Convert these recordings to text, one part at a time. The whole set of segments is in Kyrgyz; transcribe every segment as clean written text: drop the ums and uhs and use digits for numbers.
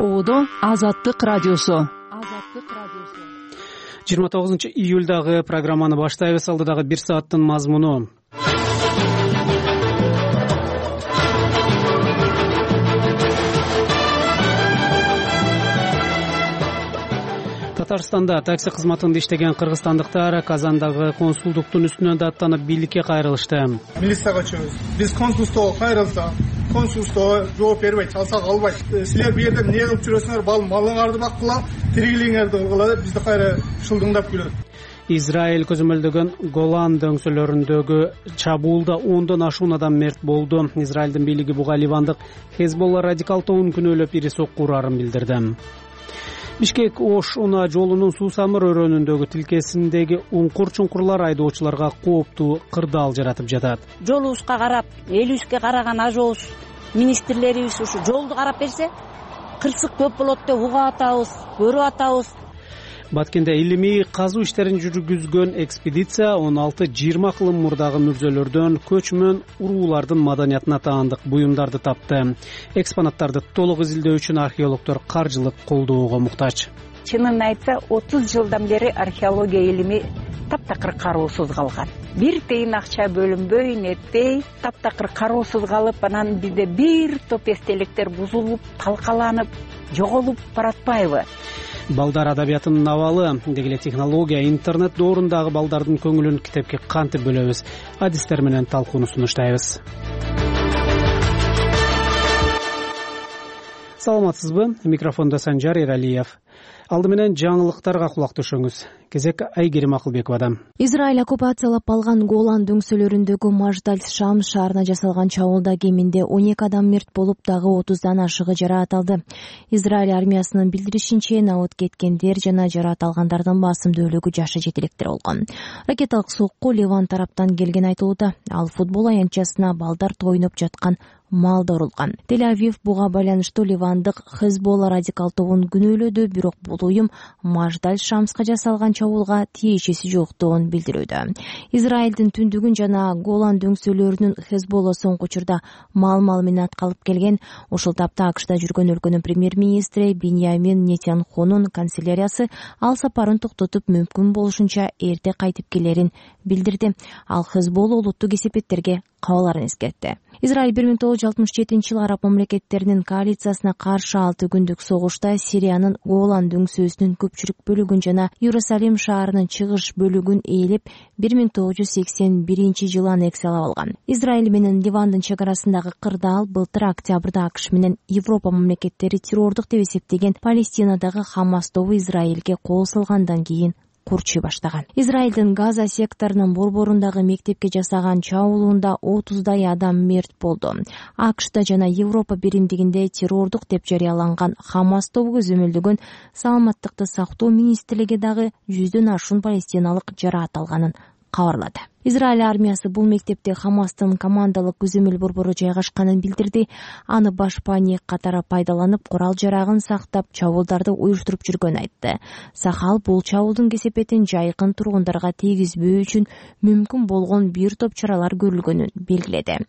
Оодо Азаттык радиосу. 29-июлдагы программаны баштайбыз. Алдыдагы 1 сааттын мазмуну. Татарстанда такси кызматында иштеген кыргызстандыктар Казандагы консулдуктун үстүнөн даттанып бийликке кайрылышты. Милицияга чыгабыз. Биз консулдукка кайрылсак, консулдукта жооп бербейт, алсак албайт. Силер бу жерде эмне кылып жүрөсүңөр? Малыңарды баккыла, тиригилиңерди кылгыла, бизди кайра шылдыңдап күлөт. Израиль көзөмөлдөгөн Голан дөңсөлөрүндөгү чабуулда 10дон ашуун адам мерт болду. Израилдин бийлиги буга ливандык Хезболла радикал тобун күнөөлөп ири сокку урарын билдирди. Бишкек-Ош унаа жолунун Суусамыр өрөөнүндөгү тилкесиндеги уңкур-чуңкурлар айдоочуларга кооптуу кырдаал жаратып жатат. Жолубузга карап, элибизге караган ажообуз, министрлерибиз ушу жолду карап берсе, кырсык көп болот деп угуп атабыз, көрүп атабыз. Баткенде илимий казуу иштерин жүргүзгөн экспедиция 16-20 кылым мурдагы мүрзөлөрдөн көчмөн уруулардын маданиятына таандык буюмдарды тапты. Экспонаттарды толук изилдөө үчүн археологдор каржылык колдоого муктач. Чынын айтса, 30 жылдан бери археология илими таптакыр кароосуз калган. Бир тыйын акча бөлүнбөй, нетпей, таптакыр кароосуз калып, анан бизде бир топ эстеликтер бузулуп, талкаланып, жоголуп баратпайбы? Балдар адабиятынын абалы, дегеле технология, интернет доорундагы балдардын көңүлүн китепке кантип бөлөбүз? Адистер менен талкууну сунуштайбыз. Саламатсызбы? Микрофондо Санжар Эралиев. Алды менен жаңылыктарга кулак түшүңүз. Кезек Айгерим Акылбековадан. Израиль оккупациялап алган Голан дөңсөлөрүндөгү Маждаль-Шамс шаарына жасалган чабуулда кеминде 12 адам мерт болуп, дагы 30дан ашыгы жараат алды. Израиль армиясынын билдиришинче, набыт кеткендер жана жараат алгандардын басымдуулугу жашы жетиликтер болгон. Ракеталык сокку Ливан тараптан келген айтылууда. Ал футбол аянтчасына балдар тойноп жаткан малда урулган. Тель-Авив буга байланыштуу ливандык Хезболла радикал тобун күнөөлөдү, бирок бул уюм Маждаль-Шамска жасалган чабуулга тиешеси жоктугун билдирүүдө. Израилдин түндүгүн жана Голан дөңсөлөрүнүн Хезболла соңку учурда мал менен аткалып келген. Ушул тапта АКШда жүргөн өлкөнүн премьер-министри Биньямин Нетаньяхунун канцеляриясы ал сапарын токтотуп, мүмкүн болушунча эрте кайтып келерин билдирди. Ал Хезболла улуттук кесепеттерге кабаларын эскертти. Израиль 1967-жылы араб мамлекеттеринин коалициясына каршы 6 күндүк согушта Сириянын Голан дөңсөөсүнүн көпчүлүк бөлүгүн жана Иерусалим шаарынын чыгыш бөлүгүн ээлеп, 1981-жылы аннексиялап алган. Израиль менен Ливандын чек арасындагы кырдаал былтыр октябрда АКШ менен Европа мамлекеттери террордук деп эсептеген Палестинадагы Хамас тобу Израилге кол салгандан кийин курчуй баштаган. Израилдин Газа секторунун борборундагы мектепке жасаган чабуулунда 30дай адам мерт болду. АКШда жана Европа биримдигинде террордук деп жарыяланган Хамас тобу көзөмөлдөгөн саламаттыкты сактоо министрлиги дагы 100дөн ашуун палестиналык жараат алганын кабарлады. Израиль армиясы бул мектепте Хамастын командалык көзөмөл борбору жайгашканын билдирди. Аны баш паник катары пайдаланып, курал жарагын сактап, чабуулдарды уюштуруп жүргөнүн айтты. Сахал бул чабуулдун кесепетин жайкын тургундарга тийгизбөө үчүн мүмкүн болгон бир топ чаралар көрүлгөнүн белгиледи.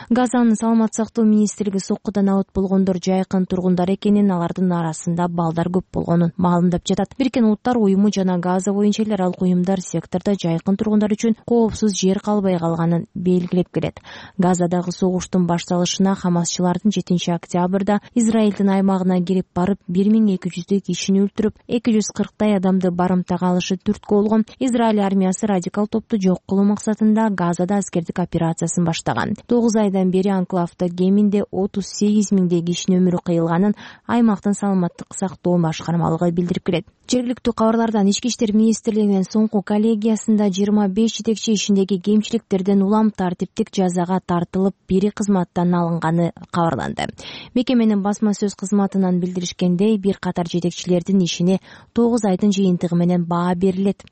Газанын саламат сактоо министрлиги соккудан абыт болгондор жайкын тургундар экенин, алардын арасында балдар көп болгонун маалымдап жатат. Бириккен Улуттар уюму жана Газа боюнча эл аралык уюмдар сектордо жайкын тургундар үчүн коопсуз жер калбай калганын белгилеп келет. Газадагы согуштун башталышына Хамасчылардын 7-октябрда Израилдин аймагына кирип барып, 1200 кишини өлтүрүп, 240дай адамды барымтага алышы түрткү болгон. Израиль армиясы радикал топту жок кылуу максатында Газада аскердик операциясын баштаган. 9 айдан бери анклавда кеминде 38 миңдей кишинин өмүрү кыйылганын аймактын саламаттык сактоо башкармалыгы билдирип келет. Жергиликтүү кабарлардан Ички иштер министрлигинин соңку коллегиясында 25 жетекчи ишиндеги кемчиликтерден улам тартиптик жазага тартылып, бири кызматтан алынганы кабарланды. Мекеменин басма сөз кызматынан билдиришкендей, бир катар жетекчилердин ишине 9 айдын жыйынтыгы менен баа берилет.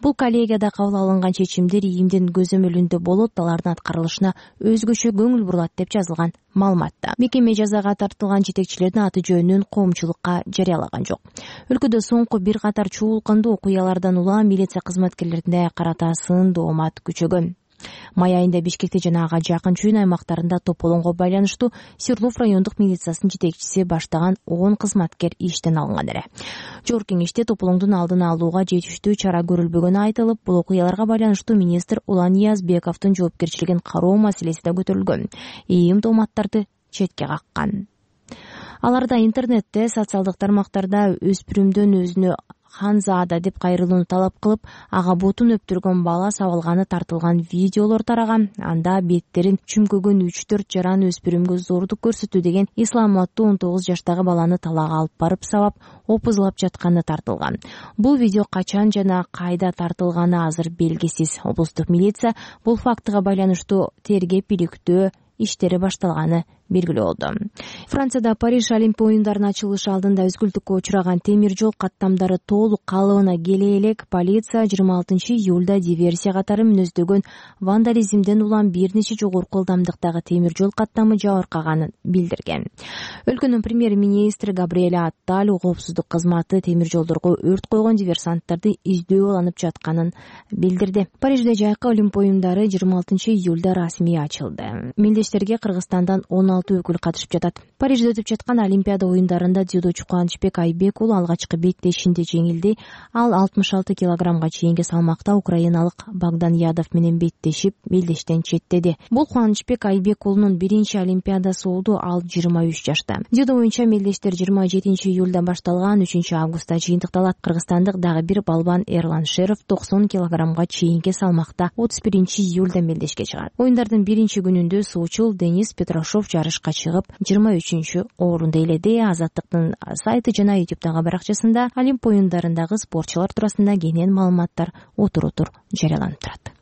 Бул коллегияда кабыл алынган чечимдер ийимдин көзөмөлүндө болот, алардын аткарылышына өзгөчө көңүл бурулат деп жазылган маалыматта. Мекеме жазага тартылган жетекчилердин аты жөнүн коомчулукка жарыялаган жок. Өлкөдө соңку бир катар чуулкандуу окуялардан улам милиция кызматкерлерине карата сын доомат күчөгөн. Май айында Бишкекте жана ага жакын чүйүн аймактарында тополоңго байланыштуу Свердлов райондук милициясынын жетекчиси баштаган 10 кызматкер иштен алынган эле. Жогорку кеңеште тополоңдун алдын алууга жетиштүү чара көрүлбөгөнү айтылып, бул окуяларга байланыштуу министр Улан Ниязбековдун жоопкерчилигин кароо маселеси да көтөрүлгөн. ИИМ тооматтарды четке каккан. Аларда интернетте, социалдык тармактарда өспүрүмдөн өзүнө Ханзада деп кайрылууну талап кылып, ага бутун өптүргөн бала сабылганы тартылган видеолор тараган. Анда беттерин чүмкөгөн 3-4 жаран өспүрүмгө зордук көрсөтүү деген ислам аттуу 19 жаштагы баланы талаага алып барып сабап, опузлап жатканы тартылган. Бул видео качан жана кайда тартылганы азыр белгисиз. Облустук милиция бул фактыга байланыштуу тергеп иликтөө иштери башталганы белгилүү болду. Францияда Париж Олимпия оюндарынын ачылышы алдында үзгүлтүккө учураган темир жол каттамдары толук калыбына келе элек полиция 26-июлда диверсия катары мүнөздөгөн вандализмден улам бир нече жогорку ылдамдыктагы темир жол каттамы жабыркаганын билдирген. Өлкөнүн премьер-министри Габриэль Атталь коопсуздук кызматы темир жолдорго өрт койгон диверсанттарды издөө алынып жатканын билдирди. Парижде жайкы Олимпия оюндары 26-июлда расмий ачылды. Мелдештерге Кыргызстандан 16 өкүл катышып жатат. Парижде өтүп жаткан Олимпиада оюндарында дзюдочу Кубанычбек Айбек уулу алгачкы беттешинде жеңилди. Ал 66 килограммга чейинки салмакта украиналык Богдан Ядов менен беттешип, мелдештен четтеди. Бул Кубанычбек Айбек уулунун биринчи Олимпиадасы болду. Ал 23 жашта. Дзюдо боюнча мелдештер 27-июлда башталган, 3-августта жыйынтыкталат. Кыргызстандык дагы бир балбан Эрлан Шеров 90 килограммга чейинки салмакта 31-июлда мелдешке чыгат. Оюндардын биринчи күнүндө суучул Денис Петрашов жарышка чыгып 23-орунду ээледи. Азаттыктын сайты жана YouTube'дагы баракчасында Олимпия оюндарындагы спортчулар туурасында кенен маалыматтар отур жарыяланып турат.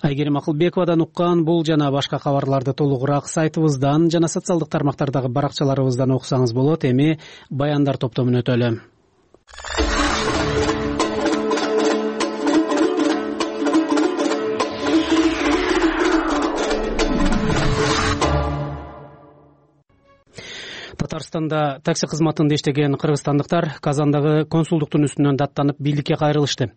Айгерим Акылбековадан уккан бул жана башка кабарларды толугураак сайтыбыздан жана социалдык тармактардагы баракчаларыбыздан окусаңыз болот. Эми баяндар топтомуна өтөлү. Татарстанда такси кызматында иштеген кыргызстандыктар Казандагы консулдуктун үстүнөн даттанып бийликке кайрылышты.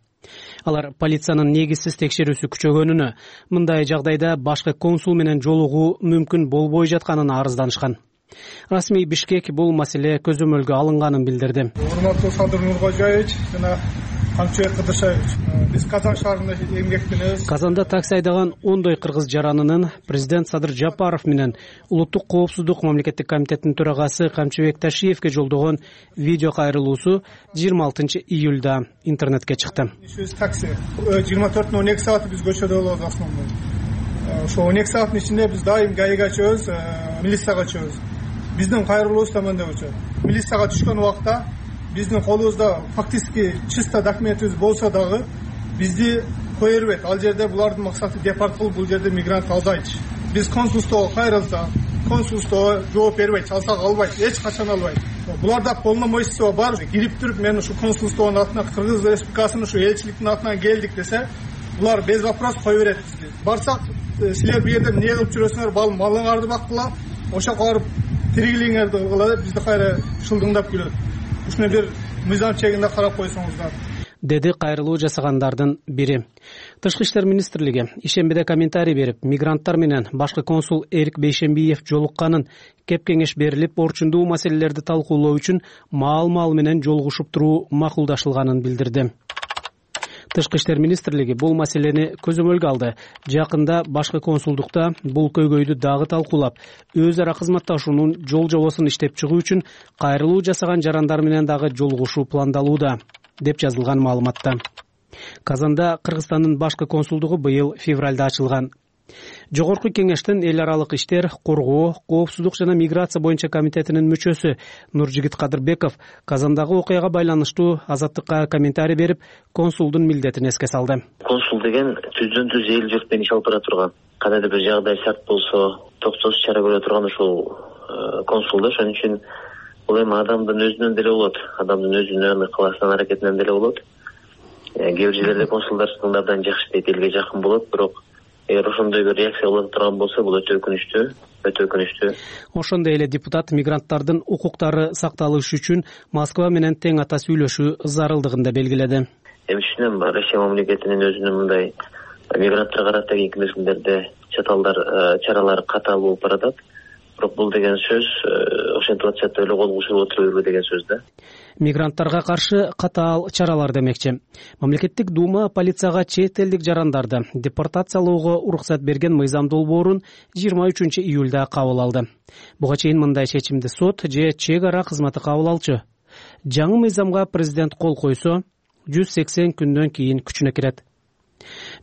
Алар полициянын негизсиз текшерүүсү күчөгөнүнө, мындай жагдайда башкы консул менен жолугуу мүмкүн болбой жатканын арызданышкан. Расмий Бишкек бул маселе көзөмөлгө алынганын билдирди. Урматтуу Садыр Нуркожаевич жана Камчыбек Кыдыршаевич, биз Казан шаарында эмгектенебиз. Казанда такси айдаган 10 кыргыз жаранынын президент Садыр Жапаров менен улуттук коопсуздук мамлекеттик комитетинин төрагасы Камчыбек Ташиевке жолдогон видео кайрылуусу 26-июлда интернетке чыкты. Такси 24-12 саат биз көчөдө болобуз основной. Ошо 12 сааттын ичинде биз дайым ГАИга чыгабыз, милицияга чыгабыз. Биздин кайрылуубуз да мындай болчу. Милицияга түшкөн убакта биздин колубузда фактически чисто документибиз болсо дагы бизди кое бербейт. Ал жерде булардын максаты депорт кылып, бул жерде мигрант албайт. Биз консулствого кайрылсак, консулство жооп бербейт, алсак албайт, эч качан албайт. Буларда полномочия бар. Кирип туруп мен ушу консулствонун атынан, Кыргыз Республикасынын ушу элчиликтин атынан келдик десе, булар без вопрос кое берет бизге. Барсак, силер бу жерде эмне кылып жүрөсүңөр, малыңарды бактыла, ошоко барып тиригилиңерди кылгыла деп бизди кайра шылдыңдап күлөт. Ушуну бир мыйзам чегинде карап койсоңуздар, деди кайрылуу жасагандардын бири. Тышкы иштер министрлиги ишембиде комментарий берип, мигранттар менен башкы консул Эрик Бейшембиев жолукканын, кеп кеңеш берилип, орчундуу маселелерди талкуулоо үчүн маал менен жолугушуп туруу макулдашылганын билдирди. Тышкы иштер министрлиги бул маселени көзөмөлгө алды. Жакында башкы консулдукта бул көйгөйдү дагы талкуулап, өз ара кызматташуунун жол жобосун иштеп чыгуу үчүн кайрылуу жасаган жарандар менен дагы жолугушуу пландалууда, деп жазылган маалыматта. Казанда Кыргызстандын башкы консулдугу быйыл февралда ачылган. Жогорку кеңештин эл аралык иштер, коргоо, коопсуздук жана миграция боюнча комитетинин мүчөсү Нуржигит Кадырбеков Казандагы окуяга байланыштуу Азаттыкка комментарий берип, консулдун милдетин эске салды. Консул деген түздөн-түз эл журт менен иш алып бара турган. Кандайдыр бир жагдай шарт болсо, токтосуз чара көрө турган ушул консул да. Ошон үчүн бул эми адамдын өзүнөн деле болот, адамдын өзүнүн ыкыласынан, аракетинен деле болот. Кээ бир жерлерде консулдар абдан жакшы дейт, элге жакын болот, бирок эгер ошондой бир реакция боло турган болсо, бул өтө өкүнүчтүү. Ошондой эле депутат мигранттардын укуктары сакталышы үчүн Москва менен тең ата сүйлөшүү зарылдыгын да белгиледи. Эми түшүнөм, Россия мамлекетинин өзүнүн мындай мигранттарга карата кийинки мезгилдерде чаралар катаал болуп баратат. Бирок бул деген сөз ошентип атышат эле кол кушуп отура бербе деген сөз да. Мигранттарга каршы катаал чаралар демекчи. Мамлекеттик дума полицияга чет элдик жарандарды депортациялоого уруксат берген мыйзам долбоорун 23 июлда кабыл алды. Буга чейин мындай чечимди сот же чек ара кызматы кабыл алчу. Жаңы мыйзамга президент кол койсо 180 күндөн кийин күчүнө кирет.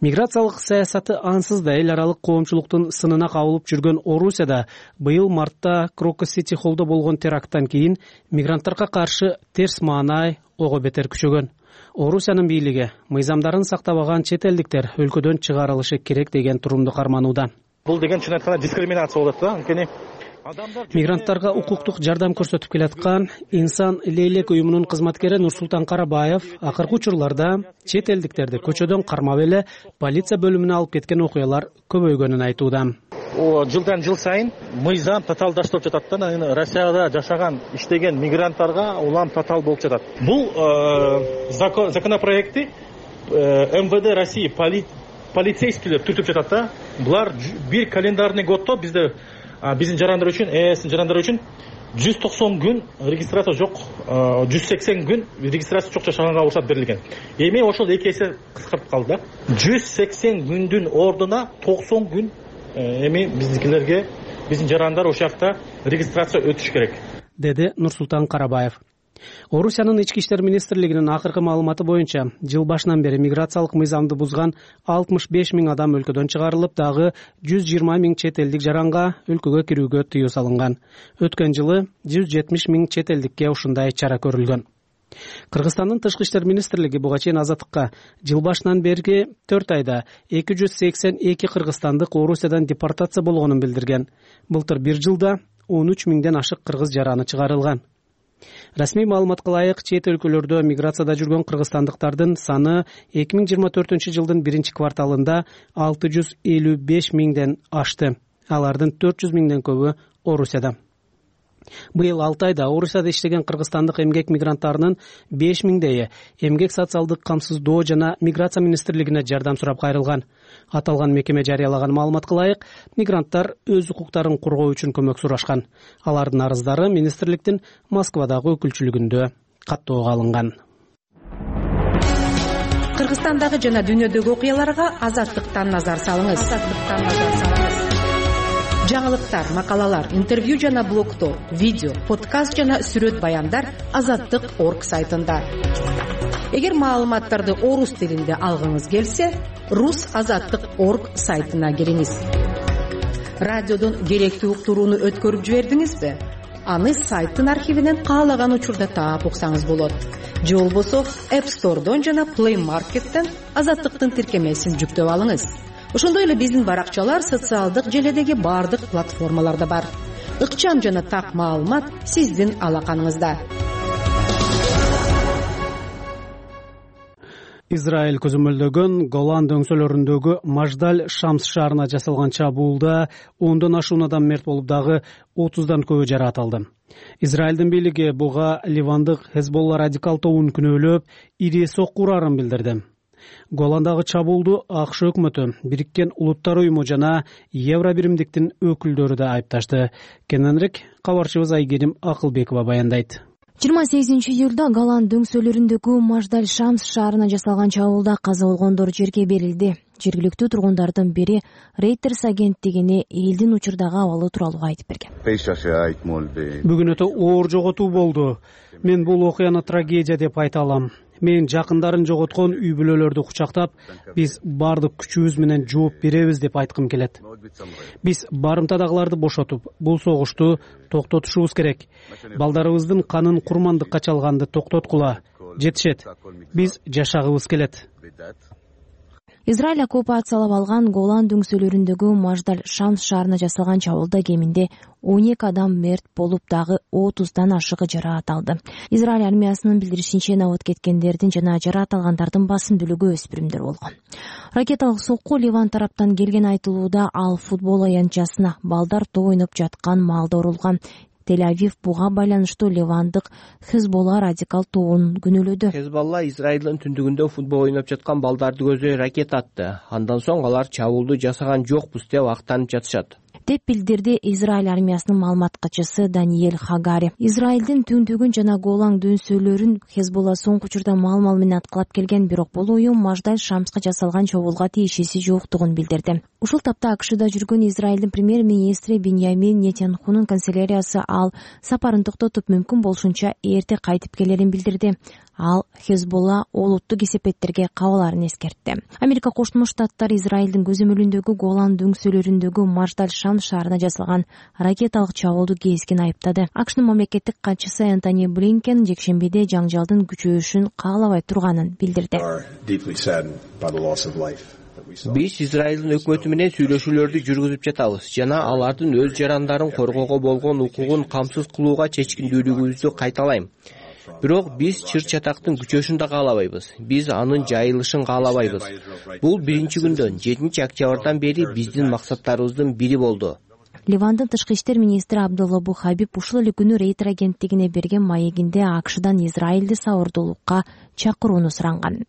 Миграциялык саясаты ансыз да эл аралык коомчулуктун сынына кабылып жүргөн Орусияда быйыл мартта Крокус-Сити холлдо болгон теракттан кийин мигранттарга каршы терс маанай ого бетер күчөгөн. Орусиянын бийлиги мыйзамдарын сактабаган чет элдиктер өлкөдөн чыгарылышы керек деген турумду карманууда. Бул деген чын айтканда дискриминация болот да. Анткени мигранттарга укуктук жардам көрсөтүп келаткан Инсан Лейлек уюмунун кызматкери Нурсултан Карабаев акыркы учурларда чет элдиктерди көчөдөн кармап эле полиция бөлүмүнө алып кеткен окуялар көбөйгөнүн айтууда. Жылдан жыл сайын мыйзам татаалдаштырып жатат да. Россияда жашаган, иштеген мигранттарга улам татаал болуп жатат. Бул законопроекти МВД России полицейскийлер түртүп жатат да. Булар бир календарный годдо биздин жарандар үчүн 190 күн регистрация жок, 180 күн регистрация жок жашаганга уруксат берилген. Эми ошол 2 эсе кыскартып калды да. 180 күндүн ордуна 90 күн эми биздикилерге, биздин жарандар ошол жакта регистрация өтүш керек, деди Нурсултан Карабаев. Орусиянын ички иштер министрлигинин акыркы маалыматы боюнча, жыл башынан бери миграциялык мыйзамды бузган 65 000 адам өлкөдөн чыгарылып, дагы 120 000 чет элдик жаранга өлкөгө кирүүгө тыюу салынган. Өткөн жылы 170 000 чет элдикке ушундай чара көрүлгөн. Кыргызстандын тышкы иштер министрлиги буга чейин Азаттыкка жыл башынан берги 4 айда 282 кыргызстандык Орусиядан депортация болгонун билдирген. Былтыр бир жылда 13 000ден ашык кыргыз жараны чыгарылган. Расмий маалыматка ылайык, чет өлкөлөрдө миграцияда жүргөн кыргызстандыктардын саны 2024 жылдын 1-кварталында 655 000ден ашты. Алардын 400 000ден көбү Орусияда. Быйыл 6 айда Орусияда иштеген кыргызстандык эмгек мигранттарынын 5 000дейи эмгек социалдык камсыздоо жана миграция министрлигине жардам сурап кайрылган. Аталган мекеме жарыялаган маалыматка ылайык, мигранттар өз укуктарын коргоо үчүн көмөк сурашкан. Алардын арыздары министрликтин Москвадагы өкүлчүлүгүндө каттоого алынган. Кыргызстандагы жана дүйнөдөгү окуяларга Азаттыктан назар салыңыз. Жаңылыктар, макалалар, интервью жана блогтор, видео, подкаст жана сүрөт баяндар Азаттык.орг сайтында. Эгер маалыматтарды орус тилинде алгыңыз келсе, Rus.Azаттык.орг сайтына кириңиз. Радиодон керектүү уктурууну өткөрүп жибердиңизби? Аны сайттын архивинен каалаган учурда таап уксаңыз болот. Же болбосо App Store'дон жана Play Market'тен Азаттыктын тиркемесин жүктөп алыңыз. Ошондой эле биздин баракчалар социалдык желедеги бардык платформаларда бар. Ыкчам жана так маалымат сиздин алаканыңызда. Израиль көзөмөлдөгөн Голан дөңсөлөрүндөгү Маждаль Шамс шаарына жасалган чабуулда 10дон ашуун адам мерт болуп, дагы 30дан көбү жаракат. Израилдин бийлиги буга Ливандык Хезболла радикал тобун күнөөлөп, ири сокку урарын билдирди. Голандагы чабуулду АКШ өкмөтү, Бириккен Улуттар уюму жана Евробиримдиктин өкүлдөрү да айыпташты. Кененирээк кабарчыбыз Айгерим Акылбекова баяндайт. 28 июлда Голан дөңсөлөрүндөгү Маждаль Шамс шаарына жасалган чабуулда каза болгондор жерге берилди. Жергиликтүү тургундардын бири Reuters агенттигине элдин учурдагы абалы тууралуу айтып берген. Бүгүн өтө оор жоготуу болду. Мен бул окуяны трагедия деп айта алам. Мен жакындарын жоготкон үй бүлөлөрдү кучактап, биз бардык күчүбүз менен жооп беребиз деп айткым келет. Биз барымтадагыларды бошотуп, бул согушту токтотушубуз керек. Балдарыбыздын канын курмандыкка чалганды токтоткула. Жетишет. Биз жашагыбыз келет. Израиль оккупациялап алган Голан дөңсөлөрүндөгү Маждаль Шамс шаарына жасалган чабуулда кеминде 12 адам мерт болуп, дагы 30дан ашыгы жаракат алды. Израиль армиясынын билдиришинче, набат кеткендердин жана жаракат алгандардын басым бөлүгү өспүрүмдөр болгон. Ракеталык сокку Ливан тараптан келген айтылууда, ал футбол аянтчасына балдар топ ойноп жаткан маалда урулган. Тель-Авив буга байланыштуу Ливандык Хезболла радикал тобун күнөөлөдү. Хезболла Израилдин түндүгүндө футбол ойноп жаткан балдарды көздөй ракета атты. Андан соң алар чабуулду жасаган жокпуз деп актанып жатышат, деп билдирди Израиль армиясынын маалыматкачысы Даниэль Хагари. Израилдин түндүгүн жана Голан дөңсөлөрүн Хезболла соңку учурда мал менен аткылап келген, бирок бул уюм Маждаль Шамска жасалган чабуулга тиешеси жоктугун билдирди. Ушул тапта АКШда жүргөн Израилдин премьер-министри Биньямин Нетаньяхунун канцеляриясы ал сапарын токтотуп мүмкүн болушунча эрте кайтып келерин билдирди. Ал Хезболла олуттук кесепеттерге кабыларын эскертти. Америка Кошмо Штаттары Израилдин көзөмөлүндөгү Голан дөңсөлөрүндөгү Маждаль Шам шаарына жасалган ракеталык чабуулду кескин айыптады. АКШнын мамлекеттик катчысы Энтони Блинкен жекшембиде жаңжалдын күчөйүшүн каалабай турганын билдирди. Биз Израилдин өкмөтү менен сүйлөшүүлөрдү жүргүзүп жатабыз жана алардын өз жарандарын коргоого болгон укугун камсыз кылууга чечкиндүүлүгүбүздү кайталайм. Бирок биз чыр-чатактын күчөшүн да каалабайбыз. Биз анын жайылышын каалабайбыз. Бул биринчи күндөн 7-октябрдан бери биздин максаттарыбыздын бири болду. Ливандын тышкы иштер министри Абдулла Бухабиб ушул эле күнү Рейтер агенттигине берген маегинде АКШдан Израилди сабырдуулукка чакырууну суранган.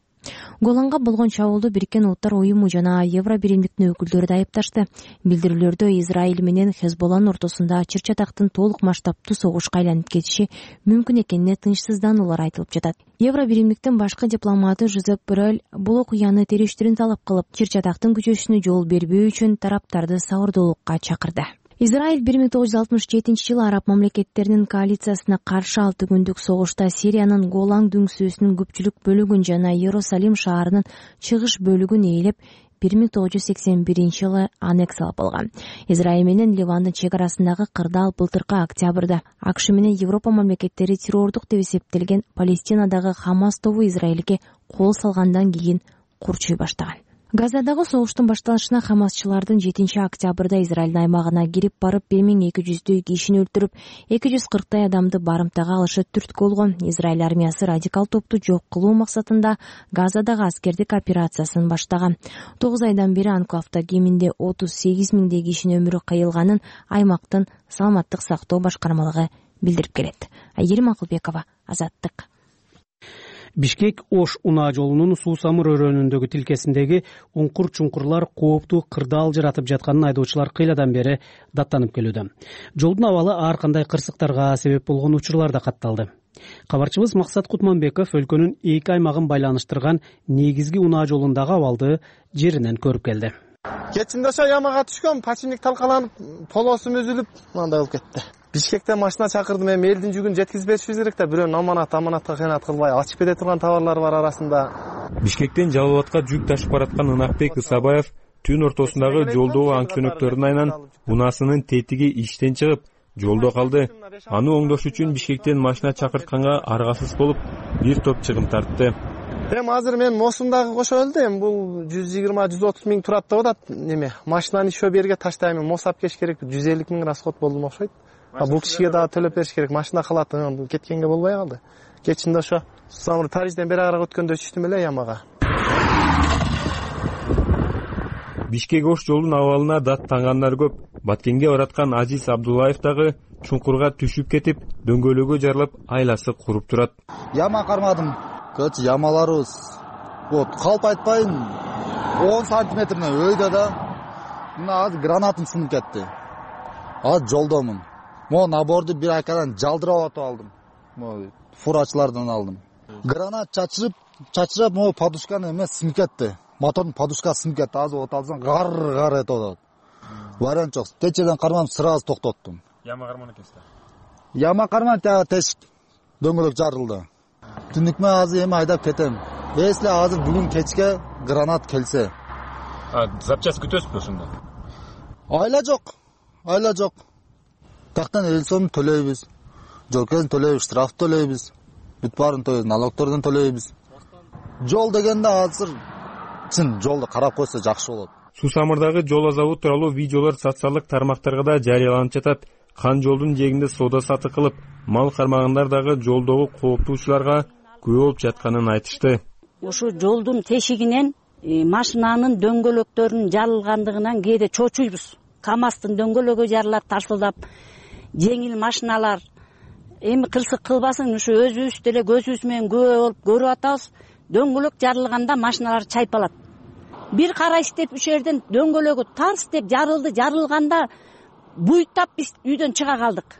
Голанга болгон чабуулду Бириккен Улуттар уюму жана Евро биримдиктин өкүлдөрү да айыпташты. Билдирүүлөрдө Израиль менен Хезболланын ортосунда чыр-чатактын толук масштабтуу согушка айланып кетиши мүмкүн экенине тынчсыздануулар айтылып жатат. Евро биримдиктин башкы дипломаты Жозеп Боррель бул окуяны териштирүүнү талап кылып, чыр-чатактын күчөшүнө жол бербөө үчүн тараптарды сабырдуулукка чакырды. Израиль 1967-жылы араб мамлекеттеринин коалициясына каршы 6 күндүк согушта Сириянын Голан дөңсөөсүнүн көпчүлүк бөлүгүн жана Иерусалим шаарынын чыгыш бөлүгүн ээлеп 1981-жылы аннексиялап алган. Израиль менен Ливандын чек арасындагы кырдаал былтыркы октябрда АКШ менен Европа мамлекеттери террордук деп эсептелген Палестинадагы Хамас тобу Израилге кол салгандан кийин курчуй баштаган. Газадагы согуштун башталышына Хамасчылардын 7-октябрда Израилдин аймагына кирип барып 1200 кишини өлтүрүп, 240 адамды барымтага алышы түрткү болгон. Израиль армиясы радикал топту жок кылуу максатында Газадагы аскердик операциясын баштаган. 9 айдан бери анклавда кеминде 38 миңдей кишинин өмүрү кыйылганын аймактын саламаттык сактоо башкармалыгы билдирип келет. Айгерим Акылбекова, Азаттык. Бишкек Ош унаа жолунун Суусамыр өрөөнүндөгү тилкесиндеги уңкур-чуңкурлар кооптуу кырдаал жаратып жатканын айдоочулар кыйладан бери даттанып келүүдө. Жолдун абалы ар кандай кырсыктарга себеп болгон учурлар да катталды. Кабарчыбыз Максат Кутманбеков өлкөнүн эки аймагын байланыштырган негизги унаа жолундагы абалды жеринен көрүп келди. Кечинде ошо ямага түшкөн, пачинник талкаланып, полосум үзүлүп, мындай болуп кетти. Бишкектен машина чакырдым, эми элдин жүгүн жеткизбешибиз керек да, бирөөнүн аманатка кыянат кылбай, ачып кете турган товарлар бар арасында. Бишкектен Жалал Абадка жүк ташып бараткан Ынакбек Ысабаев түн ортосундагы жолдогу аң-чөнөктөрдүн айынан унаасынын тетиги иштен чыгып, жолдо калды. Аны оңдош үчүн Бишкектен машина чакыртканга аргасыз болуп, бир топ чыгым тартты. Эми азыр мен Мосумдагы кошо элди, эми бул 120-130 миң турат деп атат. Неме, машинаны ишөө берге таштайм, Мосап кеш керек, 150 миң расход болду окшойт. Бул кишиге дагы төлөп бериш керек, машина калат, кеткенге болбой калды. Кечинде ошо Самыр Парижден бери карак өткөндө түштүм эле ямага. Бишкек Ош жолдун абалына даттангандар көп. Баткенге бараткан Азиз Абдуллаев дагы чуңкурга түшүп кетип, дөңгөлөгү жарылып, айласы куруп турат. Яма кармадым. Көч ямаларыбыз. Вот, калп айтпайын 10 сантиметринен өйдө да. Мына азыр гранатым сынып кетти. Азыр жолдомун. Мо наборду бир акадан жалдырап атып алдым. Мо фурачылардан алдым. Гранат чачырып, мо подушканы эмес сынып кетти. Мотордун подушкасы сынып кетти. Азыр от алсаң гар этип атат. Вариант жок. Течеден кармам, сразу токтоттум. Яма карман экенсиз. Яма карман тешик дөңгөлөк жарылды. Түнүкмө азыр эми айдап кетем. Если азыр бүгүн кечке гранат келсе. Запчасть күтөсүзбү ошондо? Айла жок. Тактан эл сомун төлөйбүз. Жолкесин төлөйбүз, штраф төлөйбүз. Бүт баарын төлөйбүз, налогтордон төлөйбүз. Жол дегенде азыр чын жолду карап койсо жакшы болот. Суусамырдагы жол азабы тууралуу видеолор социалдык тармактарга да жарыяланып жатат. Кан жолдун жээгинде соода сатык кылып, мал кармагандар дагы жолдогу кооптуучуларга күбө болуп жатканын айтышты. Ушу жолдун тешигинен машинанын дөңгөлөктөрүнүн жарылгандыгынан кээде чочуйбуз. КамАЗдын дөңгөлөгү жарылат тарсылдап. жеңил машиналар эми кырсык кылбасын, ушу өзүбүз деле көзүбүз менен күбө болуп көрүп атабыз. Дөңгөлөк жарылганда машиналар чайпалат. Бир карайсыз деп үч жерден дөңгөлөгү тарс деп жарылганда буйтап биз үйдөн чыга калдык.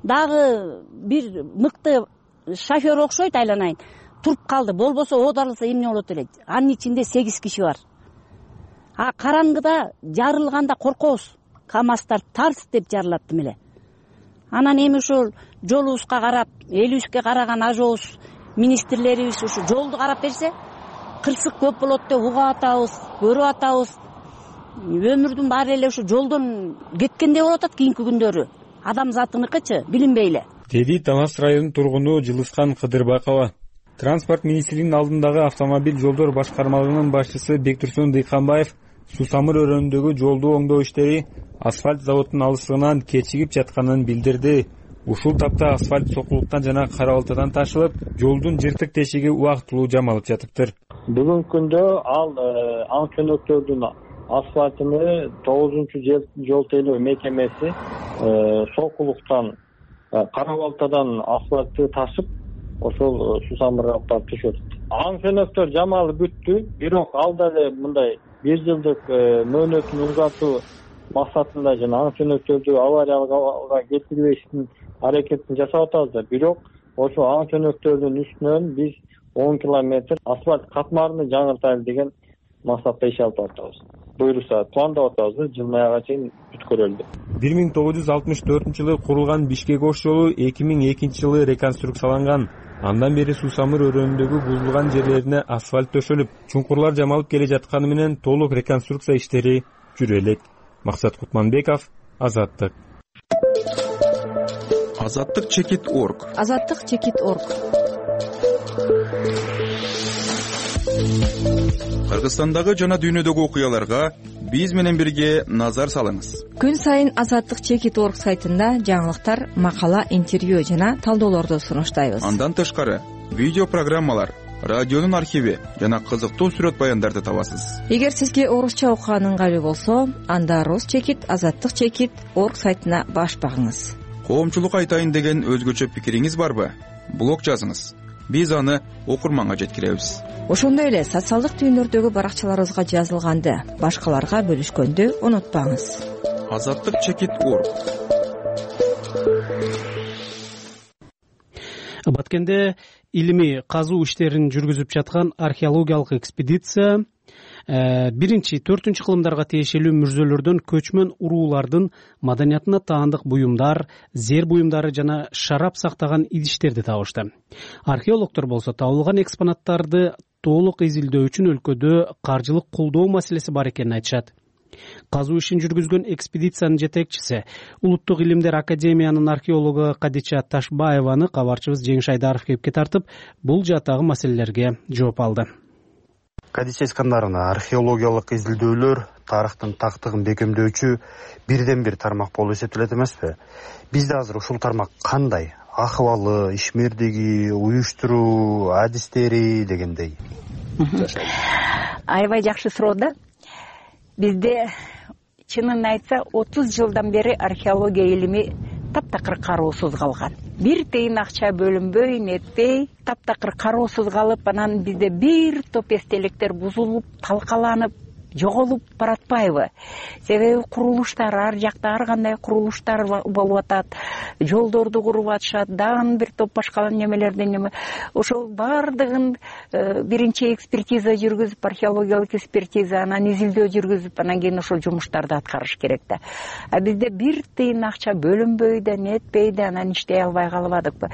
Дагы бир мыкты шофер окшойт, айланайын, туруп калды. Болбосо оодарылса эмне болот эле? Анын ичинде 8 киши бар. Караңгыда жарылганда коркобуз. КамАЗдар тарс деп жарылат эле. Анан эми ушул жолубузга карап, элибизге караган ажообуз, министрлерибиз ушу жолду карап берсе, кырсык көп болот деп угуп атабыз, көрүп атабыз. Өмүрдүн баары эле ушу жолдон кеткендей болуп атат кийинки күндөрү. Адамзатыныкычы билинбей эле. Деди Талас районунун тургуну Жылыскан Кыдырбакова. Транспорт министринин алдындагы автомобиль жолдор башкармалыгынын башчысы Бектурсун Дыйканбаев Сусамыр өрөөнүндөгү жолду оңдоо иштери асфальт заводунун алыстыгынан кечигип жатканын билдирди. Ушул тапта асфальт сокулуктан жана кара балтадан ташылып, жолдун жыртык тешиги убактылуу жамалып жатыптыр. Бүгүнкү күндө ал аң чөнөктөрдүн асфальтыны 9-жол тейлөө мекемеси сокулуктан кара балтадан асфальтты ташып, ошол Сусамырга алып түшөт. Аң чөнөктөр жамалып бүттү, бирок ал деле мындай 1 жылдык мөөнөтүн узартуу максатында жана аң чөнөктөрдү авариялыкка келтирбештин аракетин жасап атабыз. Бирок ошо аң чөнөктөрдүн үстүнөн биз 10 километр асфальт катмарыны жаңыртайлы деген максатта иш алып атабыз. Буюрса пландап атабыз, жылдын аягына чейин бүткөрөлдү. 1964-жылы курулган Бишкек Ош жолу 2002-жылы реконструкцияланган. Андан бери Сусамыр өрөөнүндөгү бузулган жерлерине асфальт төшөлүп, чуңкурлар жамалып келе жатканы менен толук реконструкция иштери жүрө элек. Максат Кутманбеков, Азаттык. Азаттык чекит.орг. Азаттык чекит.орг. Кыргызстандагы жана дүйнөдөгү окуяларга биз менен бирге назар салыңыз. Күн сайын Азаттык чекит.орг сайтында жаңылыктар, макала, интервью жана талдоолорду сунуштайбыз. Андан тышкары видео программалар, радионун архиви жана кызыктуу сүрөт баяндарды табасыз. Эгер сизге орусча окуган ыңгайлуу болсо, анда Рус чекит, Азаттык чекит.орг сайтына баш багыңыз. Коомчулук айтайын деген өзгөчө пикириңиз барбы? Блог жазыңыз. Биз аны окурманга жеткиребиз. Ошондой эле социалдык түйүндөрдөгү баракчаларыбызга жазылганды башкаларга бөлүшкөндү унутпаңыз. Азаттык чекит.орг. Баткенде илимий казуу иштерин жүргүзүп жаткан археологиялык экспедиция 1-4 кылымдарга тиешелүү мүрзөлөрдөн көчмөн уруулардын маданиятына таандык буюмдар, зер буюмдары жана шарап сактаган идиштерди табышты. Археологдор болсо табылган экспонаттарды толук изилдөө үчүн өлкөдө каржылык колдоо маселеси бар экенин айтышат. Казуу ишин жүргүзгөн экспедициянын жетекчиси, Улуттук илимдер академиянын археологу Кадича Ташбаеваны кабарчыбыз Жеңиш Айдаров кепке тартып, бул жаатагы маселелерге жооп алды. Кадича Искандаровна, археологиялык изилдөөлөр тарыхтын тактыгын бекемдөөчү бирден бир тармак болуп эсептелет эмеспи? Бизде азыр ушул тармак кандай? Акыбалы, ишмердиги, уюштуруу, адистери дегендей. Аябай жакшы суроо да. Бизде чынын айтса 30 жылдан бери археология илими таптакыр кароосуз калган. Бир тыйын акча бөлүнбөй, нетпей, таптакыр кароосуз калып, анан бизде бир топ эстеликтер бузулуп, талкаланып, жоголуп баратпайбы? Себеби курулуштар ар жакта ар кандай курулуштар болуп атат, жолдорду куруп атышат, дагы бир топ башка немелерден ошол бардыгын биринчи экспертиза жүргүзүп, археологиялык экспертиза, анан изилдөө жүргүзүп, анан кийин ошол жумуштарды аткарыш керек да. А бизде бир тыйын акча бөлүнбөй да, нетпей да, анан иштей албай калбадыкпы?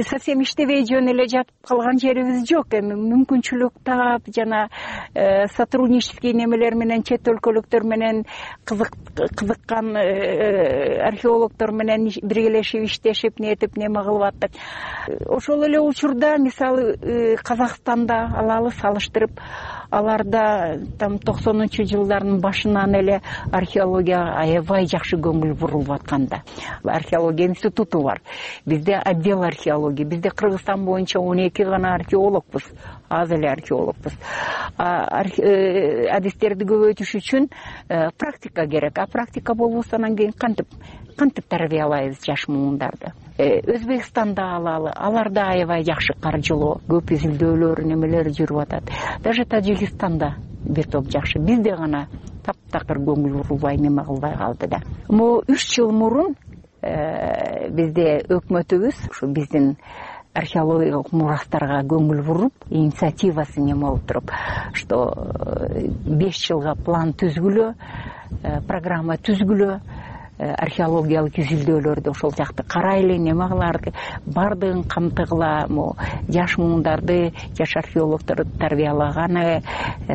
Совсем иштебей жөн эле жатып калган жерибиз жок. Эми мүмкүнчүлүк таап жана сотруднический немелер менен, чет өлкөлүктөр менен кызыккан археологдор менен биргелешип иштешип, нетип неме кылып аттык. Ошол эле учурда мисалы Казакстанда алалы салыштырып, аларда там 90-жылдардын башынан эле археологияга аябай жакшы көңүл бурулуп атканда. Археология институту бар. Бизде отдел археология. Бизде Кыргызстан боюнча 12 гана археологбуз. Аз эле археологбуз. иштерди көбөйтүш үчүн практика керек. А практика болбосо анан кийин кантип тарбиялайбыз жаш муундарды? Өзбекстанда алалы, аларда аябай жакшы каржылоо, көп изилдөөлөр, немелер жүрүп атат. Даже Тажикстанда бир топ жакшы. Бизде гана таптакыр көңүл бурулбай неме кылбай калды да. Могу 3 жыл мурун бизде өкмөтүбүз ушу биздин археологиялык мурастарга көңүл буруп, инициативасы неме болуп туруп, что 5 жылга план түзгүлө, программа түзгүлө, археологиялык изилдөөлөрдү ошол жакты карайлы, неме кыларды, бардыгын камтыгыла, жаш муундарды, жаш археологторду тарбиялаганы,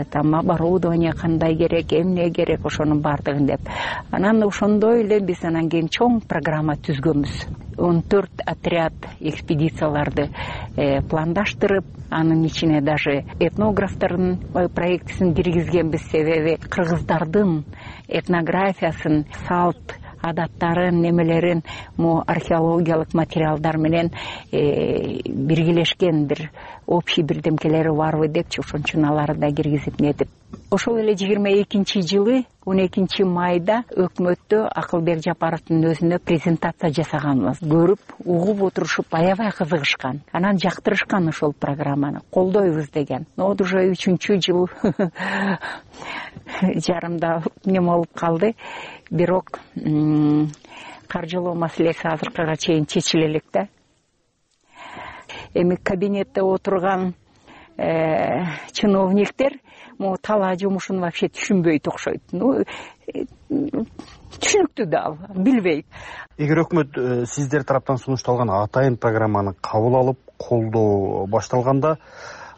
там оборудование кандай керек, эмне керек, ошонун бардыгын деп. Анан ошондой эле биз анан кийин чоң программа түзгөнбүз. 14 отряд экспедицияларды пландаштырып, анын ичине даже этнографтардын проектисин киргизгенбиз. Себеби кыргыздардын этнографиясын, салт адаттарын, немелерин археологиялык материалдар менен биргелешкен бир общий бирдемкелери барбы депчи, ошон үчүн аларды да киргизип нетип. Ошол эле 22-жылы 12 майда өкмөттө Акылбек Жапаровдун өзүнө презентация жасаганбыз. Көрүп, угуп отурушуп аябай кызыгышкан. Анан жактырышкан ошол программаны. Колдойбуз деген. Вот уже 3-жыл жарымда неме болуп калды. Бирок каржылоо маселеси азыркыга чейин чечиле элек да. Эми кабинетте отурган чиновниктер талаа жумушун вообще түшүнбөйт окшойт. Түшүнүктүү да ал, билбейт. Эгер өкмөт сиздер тараптан сунушталган атайын программаны кабыл алып, колдоо башталганда,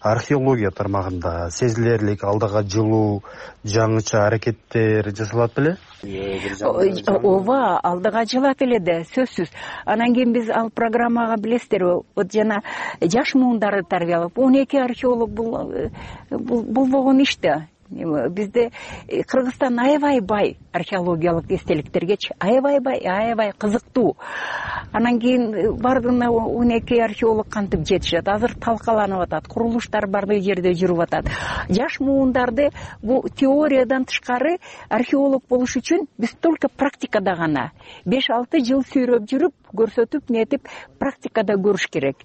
археология тармагында сезилерлик алдыга жылуу жаңыча аракеттер жасалат беле? Ооба, алдыга жылат эле да, сөзсүз. Анан кийин биз ал программага билесиздерби, вот жана жаш муундарды тарбиялап, 12 археолог болгон иш да. Бизде Кыргызстан аябай бай археологиялык эстеликтергечи, аябай кызыктуу. Анан кийин бардыгына 12 археолог кантип жетишет? Азыр талкаланып атат, курулуштар бардык жерде жүрүп атат. Жаш муундарды бул теориядан тышкары археолог болуш үчүн биз только практикада гана 5-6 жыл сүйрөп жүрүп, көрсөтүп, нетип, практикада көрүш керек.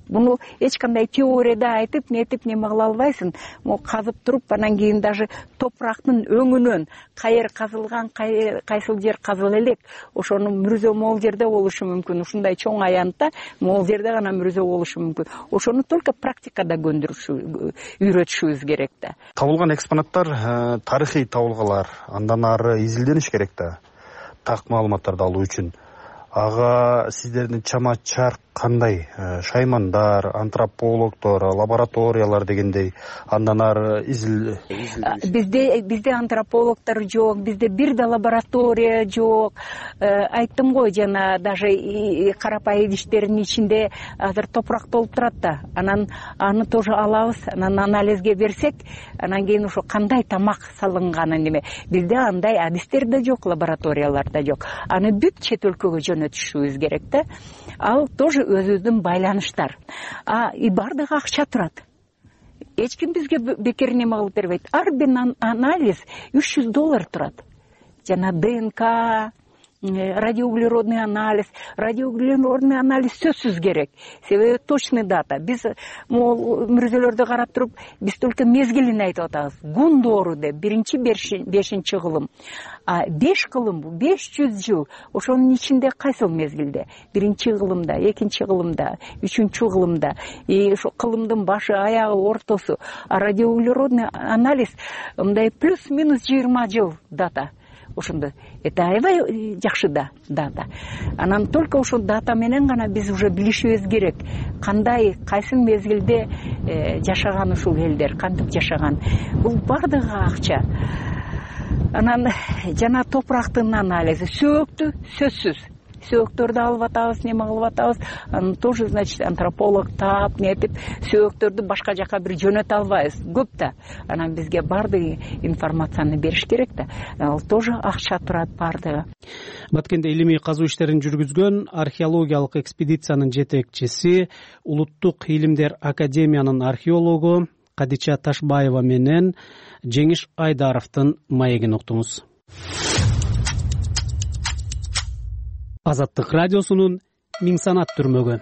Буну эч кандай теорияда айтып, нетип неме кыла албайсың. Казып туруп, анан кийин даже топурактын өңүнөн кайер казылган, кайсыл жер казыл элек, ошону мүрзө могул жерде болушу мүмкүн. Ушундай чоң аянтта могул жерде гана мүрзө болушу мүмкүн. Ошону только практикада үйрөтүшүбүз керек да. Табылган экспонаттар тарыхый табылгалар, андан ары изилдениш керек да. Так маалыматтарды алуу үчүн. Ага сиздердин чама чарк кандай? Шаймандар, антропологдор, лабораториялар дегендей, андан ары Бизде антропологдор жок, бизде бир да лаборатория жок. Айттым го, жана даже карапай идиштердин ичинде азыр топурак толуп турат да. Анан аны тоже алабыз, анан анализге берсек, анан кийин ошо кандай тамак салынганы неме. Бизде андай адистер да жок, лабораториялар да жок. Аны бүт чет өлкөгө жөнөтүшүбүз керек да. Ал тоже өзүбүздүн байланыштар. Бардыгы акча турат. Эч ким бизге бекер неме кылып бербейт. Ар бир анализ $300 турат. Жана ДНК, радиоуглеродный анализ. Радиоуглеродный анализ сөзсүз керек. Себеби точный дата. Биз мүрзөлөрдү карап туруп, биз только мезгилин айтып атабыз. Гундору деп, 1-5 кылым. 5 кылым бу 500 жыл. Ошонун ичинде кайсыл мезгилде? 1-кылымда, 2-кылымда, 3-кылымда. Ошо кылымдын башы, аягы, ортосу. Радиоуглеродный анализ мындай плюс-минус 20 жыл дата. Ошондо это аябай жакшы да дата. Анан только ошол дата менен гана биз уже билишибиз керек. Кандай, кайсы мезгилде жашаган ушул элдер, кантип жашаган. Бул бардыгы акча. Анан жана топурактын анализи, сөөктү сөзсүз. Сөөктөрдү алып атабыз, неме кылып атабыз. Анан тоже, значит, антрополог таап, нетип, сөөктөрдү башка жака бир жөнөтө албайбыз. Көп да. Анан бизге бардык информацияны бериш керек да. Ал тоже акча турат бардыгы. Баткенде илимий казуу иштерин жүргүзгөн археологиялык экспедициянын жетекчиси, Улуттук илимдер академиянын археологу Кадича Ташбаева менен Жеңиш Айдаровдун маегин уктуңуз. Азаттык радиосунун Миң санат түрмөгү.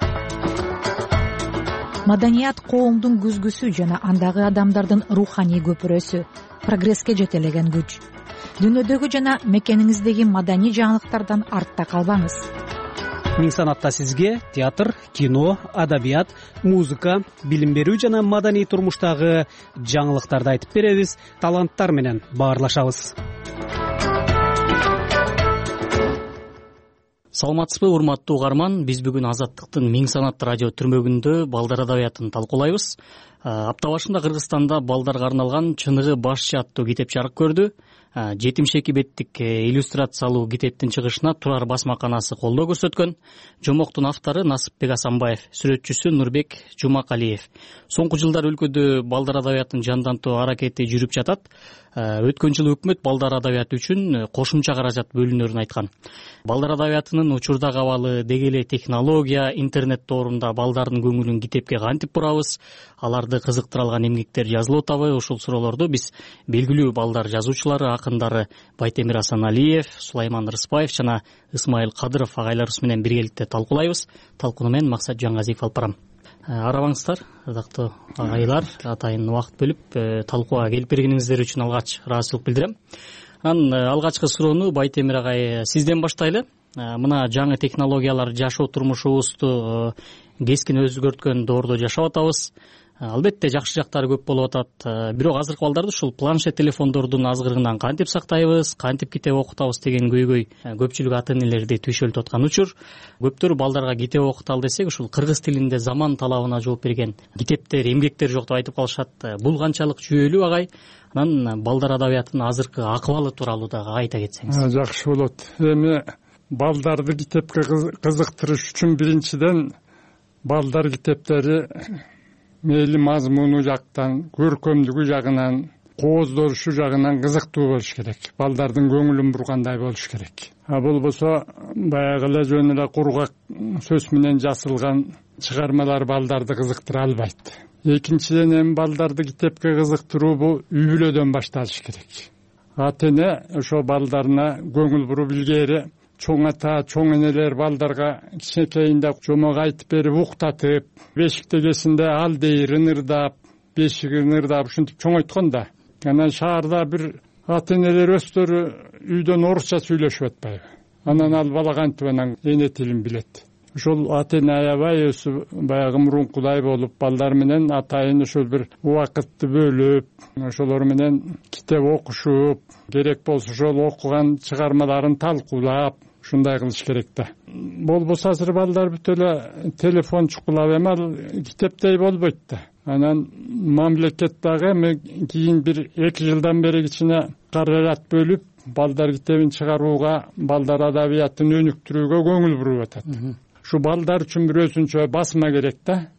Маданият коомдун күзгүсү жана андагы адамдардын руханий көпүрөсү, прогресске жетелеген күч. Дүйнөдөгү жана мекениңиздеги маданий жаңылыктардан артта калбаңыз. Миң санатта сизге театр, кино, адабият, музыка, билим берүү жана маданий турмуштагы жаңылыктарды айтып беребиз, таланттар менен баарлашабыз. Саламатсызбы, урматтуу угарман. Биз бүгүн Азаттыктын Миң санат радио түрмөгүндө балдар адабиятын талкуулайбыз. Апта башында Кыргызстанда балдарга арналган Чыныгы башчы аттуу китеп жарык көрдү. 72 беттик иллюстрациялуу китептин чыгышына Турар басмаканасы колдоо көрсөткөн. Жомоктун автору Насыпбек Асанбаев, сүрөтчүсү Нурбек Жумакалиев. Соңку жылдар өлкөдө балдар адабиятын жандантуу аракети жүрүп жатат. Өткөн жылы өкмөт балдар адабияты үчүн кошумча каражат бөлүнөрүн айткан. Балдар адабиятынын учурдагы абалы, деги эле технология, интернет доорунда балдардын көңүлүн китепке кантип бурабыз, аларды кызыктыра алган эмгектер жазылып атабы? Ушул суроолорду биз белгилүү балдар жазуучулары, акындары Байтемир Асаналиев, Сулайман Рыспаев жана Ысмайыл Кадыров агайларыбыз менен биргеликте талкуулайбыз. Талкууну мен Максат Жаңгазиев алып барам. Арабаңыздар, ардактуу агайлар, атайын убакыт бөлүп талкууга келип бергениңиздер үчүн алгач ыраазычылык билдирем. Алгачкы суроону Байтемир агай сизден баштайлы. Мына жаңы технологиялар жашоо турмушубузду кескин өзгөрткөн доордо жашап атабыз. Албетте жакшы жактары көп болуп атат. Бирок азыркы балдарды ушул планшет телефондордун азгырыгынан кантип сактайбыз, кантип китеп окутабыз деген көйгөй көпчүлүк ата-энелерди түйшөлтүп аткан учур. Көптөр балдарга китеп окуталы десек, ушул кыргыз тилинде заман талабына жооп берген китептер, эмгектер жок деп айтып калышат. Бул канчалык жүйөлүү агай? Анан балдар адабиятынын азыркы акыбалы тууралуу дагы айта кетсеңиз. Жакшы болот. Эми балдарды китепке кызыктырыш үчүн биринчиден балдар китептери мейли мазмуну жактан, көркөмдүгү жагынан, кооздорушу жагынан кызыктуу болуш керек. Балдардын көңүлүн бургандай болуш керек. Болбосо баягы эле жөн эле кургак сөз менен жасалган чыгармалар балдарды кызыктыра албайт. Экинчиден эми балдарды китепке кызыктыруу бул үй бүлөдөн башталыш керек. Ата-эне ошо балдарына көңүл буруп илгери чоң ата, чоң энелер балдарга кичинекейинде жомок айтып берип, уктатып, бешиктегесинде ал дейир ынырдап, бешигин ырдап ушинтип чоңойткон да. Анан шаарда бир ата-энелер өздөрү үйдөн орусча сүйлөшүп атпайбы? Анан ал бала кантип анан эне тилин билет? Ошол ата-эне аябай өзү баягы мурункудай болуп, балдар менен атайын ошол бир убакытты бөлүп, ошолор менен китеп окушуп, керек болсо ошол окуган чыгармаларын талкуулап, ушундай кылыш керек да. Болбосо азыр балдар бүт эле телефон чукулап эми ал китептей болбойт да. Анан мамлекет дагы эми кийин бир 2 жылдан бери кичине каражат бөлүп, балдар китебин чыгарууга, балдар адабиятын өнүктүрүүгө көңүл буруп атат. Ушу балдар үчүн бир өзүнчө басма керек да.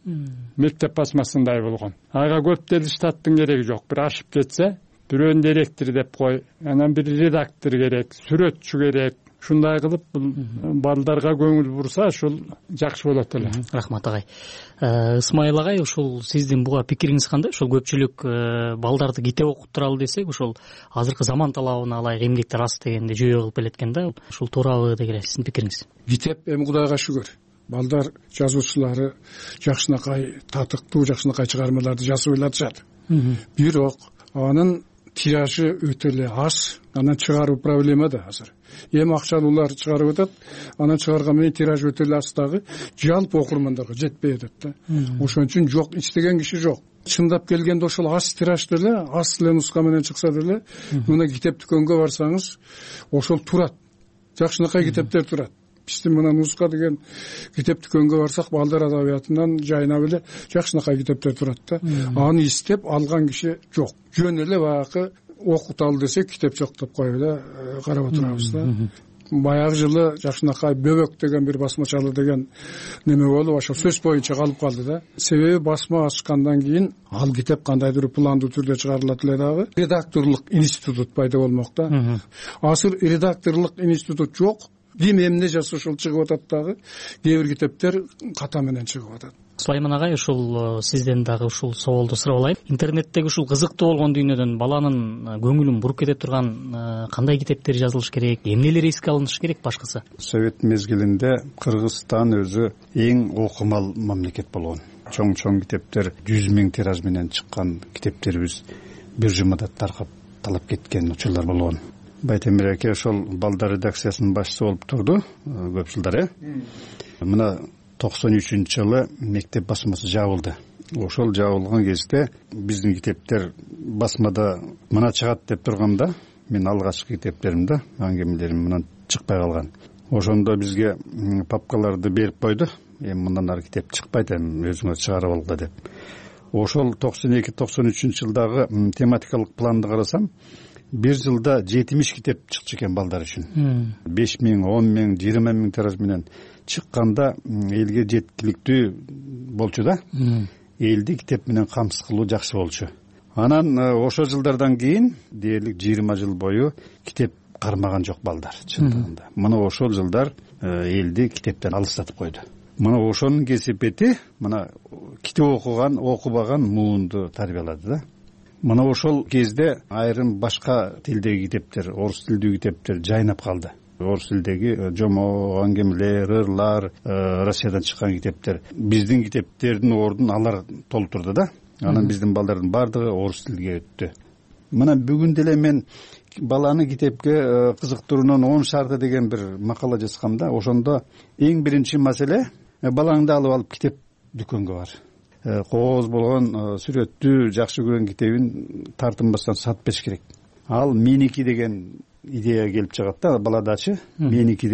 Мектеп басмасындай болгон. Ага көп деле штаттын кереги жок. Бир ашып кетсе, бирөөнү директор деп кой, анан бир редактор керек, сүрөтчү керек. Ушундай кылып балдарга көңүл бурса, ушул жакшы болот эле. Рахмат агай. Ысмайыл агай, ушул сиздин буга пикириңиз кандай? Ушул көпчүлүк балдарды китеп окуттуралы десек, ушул азыркы заман талабына ылайык эмгектер аз дегенди жүйө кылып келеткен да. Ушул туурабы деген сиздин пикириңиз? Китеп эми Кудайга шүгүр. Балдар жазуучулары жакшынакай татыктуу, жакшынакай чыгармаларды жазып элатышат. Бирок анын тиражы өтө эле аз, анан чыгаруу проблема да азыр. Эми акчалуулар чыгарып атат, анан чыгарган менен тираж өтө эле аз дагы жалпы окурмандарга жетпей атат да. Ошон үчүн жок, иштеген киши жок. Чындап келгенде ошол аз тиражды эле, аз эле нуска менен чыкса деле, мына китеп дүкөнгө барсаңыз, ошол турат. Жакшынакай китептер турат. Биздин мына нуска деген китеп дүкөнгө барсак, балдар адабиятынан жайнап эле жакшынакай китептер турат да. Аны издеп алган киши жок. Жөн эле баягы окуталы десек, китеп жок деп коюп эле карап отурабыз да. Баягы жылы жакшынакай бөбөк деген бир басмачалы деген неме болуп, ошо сөз боюнча калып калды да. Себеби басма ачкандан кийин ал китеп кандайдыр пландуу түрдө чыгарылат эле дагы. Редакторлук институт пайда болмок да. Азыр редакторлук институт жок. ким эмне жазса ошол чыгып атат, дагы кээ бир китептер ката менен чыгып атат. Сулайман агай, ушул сизден дагы ушул соолду сурап алайын. Интернеттеги ушул кызыктуу болгон дүйнөдөн баланын көңүлүн буруп кете турган кандай китептер жазылыш керек, эмнелер эске алыныш керек башкысы? Совет мезгилинде Кыргызстан өзү эң окумал мамлекет болгон. Чоң китептер 100 000 тираж менен чыккан китептерибиз бир жумада таркап талап кеткен учурлар болгон. Байтемир аке ошол балдар редакциясынын башчысы болуп турду көп жылдар. Мына 93-жылы мектеп басмасы жабылды. Ошол жабылган кезде биздин китептер басмада мына чыгат деп турганда, мен алгачкы китептеримде аңгемелерим мындан чыкпай калган. Ошондо бизге папкаларды берип койду. Эми мындан ары китеп чыкпайт, эми өзүңөр чыгарып алгыла деп. Ошол 92-93-жылдагы тематикалык планды карасам, бир жылда 70 китеп чыкчу экен балдар үчүн. 5 000, 10 000, 20 000 тираж менен чыкканда элге жеткиликтүү болчу да. Элди китеп менен камсыз кылуу жакшы болчу. Анан ошол жылдардан кийин дээрлик 20 жыл бою китеп кармаган жок балдар чындыгында. Мына ошол жылдар элди китептен алыстатып койду. Мына ошонун кесепети мына китеп окубаган муунду тарбиялады да. Мына ошол кезде айрым башка тилдеги китептер, орус тилдүү китептер жайнап калды. Орус тилдеги жомок, аңгемелер, ырлар, Россиядан чыккан китептер биздин китептердин ордун алар толтурду да. Анан биздин балдардын бардыгы орус тилге өттү. Мына бүгүн деле мен баланы китепке кызыктырууунун 10 шарты деген бир макала жазгамда, ошондо эң биринчи маселе балаңды алып китеп дүкөнгө бар. Кооз болгон, сүрөттүү, жакшы көргөн китебин тартынбастан сатып бериш керек. Ал меники деген идея келип чыгат да баладачы. Меники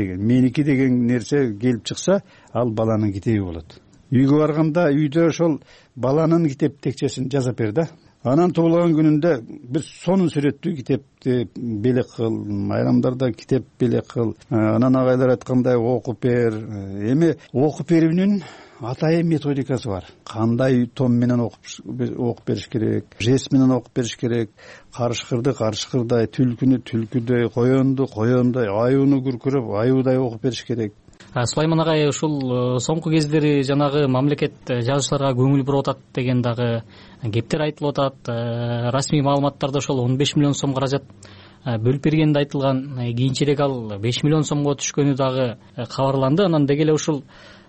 деген нерсе келип чыкса, ал баланын китеби болот. Үйгө барганда үйдө ошол баланын китеп текчесин жазып бер да. Анан туулган күнүндө бир сонун сүрөттүү китепти белек кыл, майрамдарда китеп белек кыл. Анан агайлар айткандай окуп бер. Эми окуп берүүнүн атайын методикасы бар. Кандай том менен окуп бериш керек, жест менен окуп бериш керек, карышкырдай, түлкүнү түлкүдөй, коёндой, аюуну күркүрөп, аюудай окуп бериш керек. Сулайман агай, ушул соңку кездери жанагы мамлекет жазуучуларга көңүл буруп атат деген дагы кептер айтылып атат. Расмий маалыматтарда ошол 15 миллион сом каражат бөлүп бергени айтылган. Кийинчерээк ал 5 миллион сомго түшкөнү дагы кабарланды. Анан деги эле ушул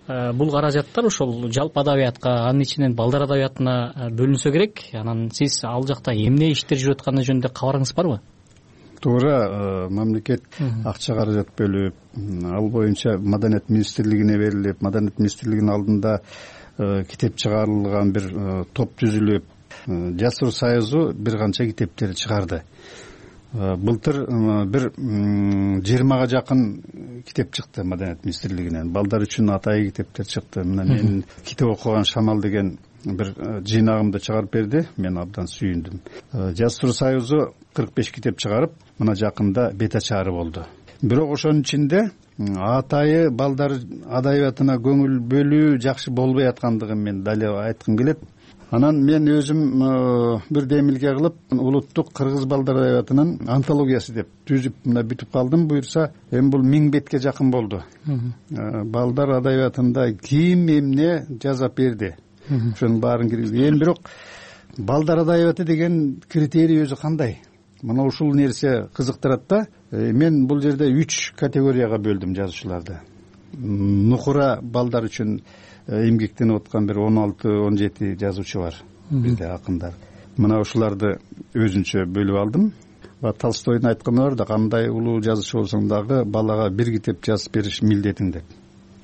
бул каражаттар ошол жалпы адабиятка, анын ичинен балдар адабиятына бөлүнсө керек. Анан сиз ал жакта эмне иштер жүрүп атканы жөнүндө кабарыңыз барбы? Туура, мамлекет акча каражат бөлүп, ал боюнча Маданият министрлигине берилип, Маданият министрлигинин алдында китеп чыгарылган бир топ түзүлүп, Жастар союзу бир канча китептер чыгарды. Былтыр бир 20га жакын китеп чыкты Маданият министрлигинен. Балдар үчүн атайын китептер чыкты. Мына мен китеп окуган шамал деген бир жыйнагымды чыгарып берди. Мен абдан сүйүндүм. Жастар союзу 45 китеп чыгарып, мына жакында бет ачары болду. Бирок ошонун ичинде атайы балдар адабиятына көңүл бөлүү жакшы болбой аткандыгын мен дале айткым келет. Анан мен өзүм бир демилге кылып, улуттук кыргыз балдар адабиятынын антологиясы деп түзүп мына бүтүп калдым. Буюрса, эми бул 1000 бетке жакын болду. Балдар адабиятында ким эмне жазып берди. Ошонун баарын киргизди. Эми бирок балдар адабияты деген критерий өзү кандай? Мына ушул нерсе кызыктырат да. Мен бул жерде 3 категорияга бөлдүм жазуучуларды. Нукура балдар үчүн эмгектенип аткан бир 16-17 жазуучу бар бизде, акындар. Мына ушуларды өзүнчө бөлүп алдым. Толстойдун айтканы бар да, кандай улуу жазуучу болсоң дагы балага бир китеп жазып бериш милдетиң деп.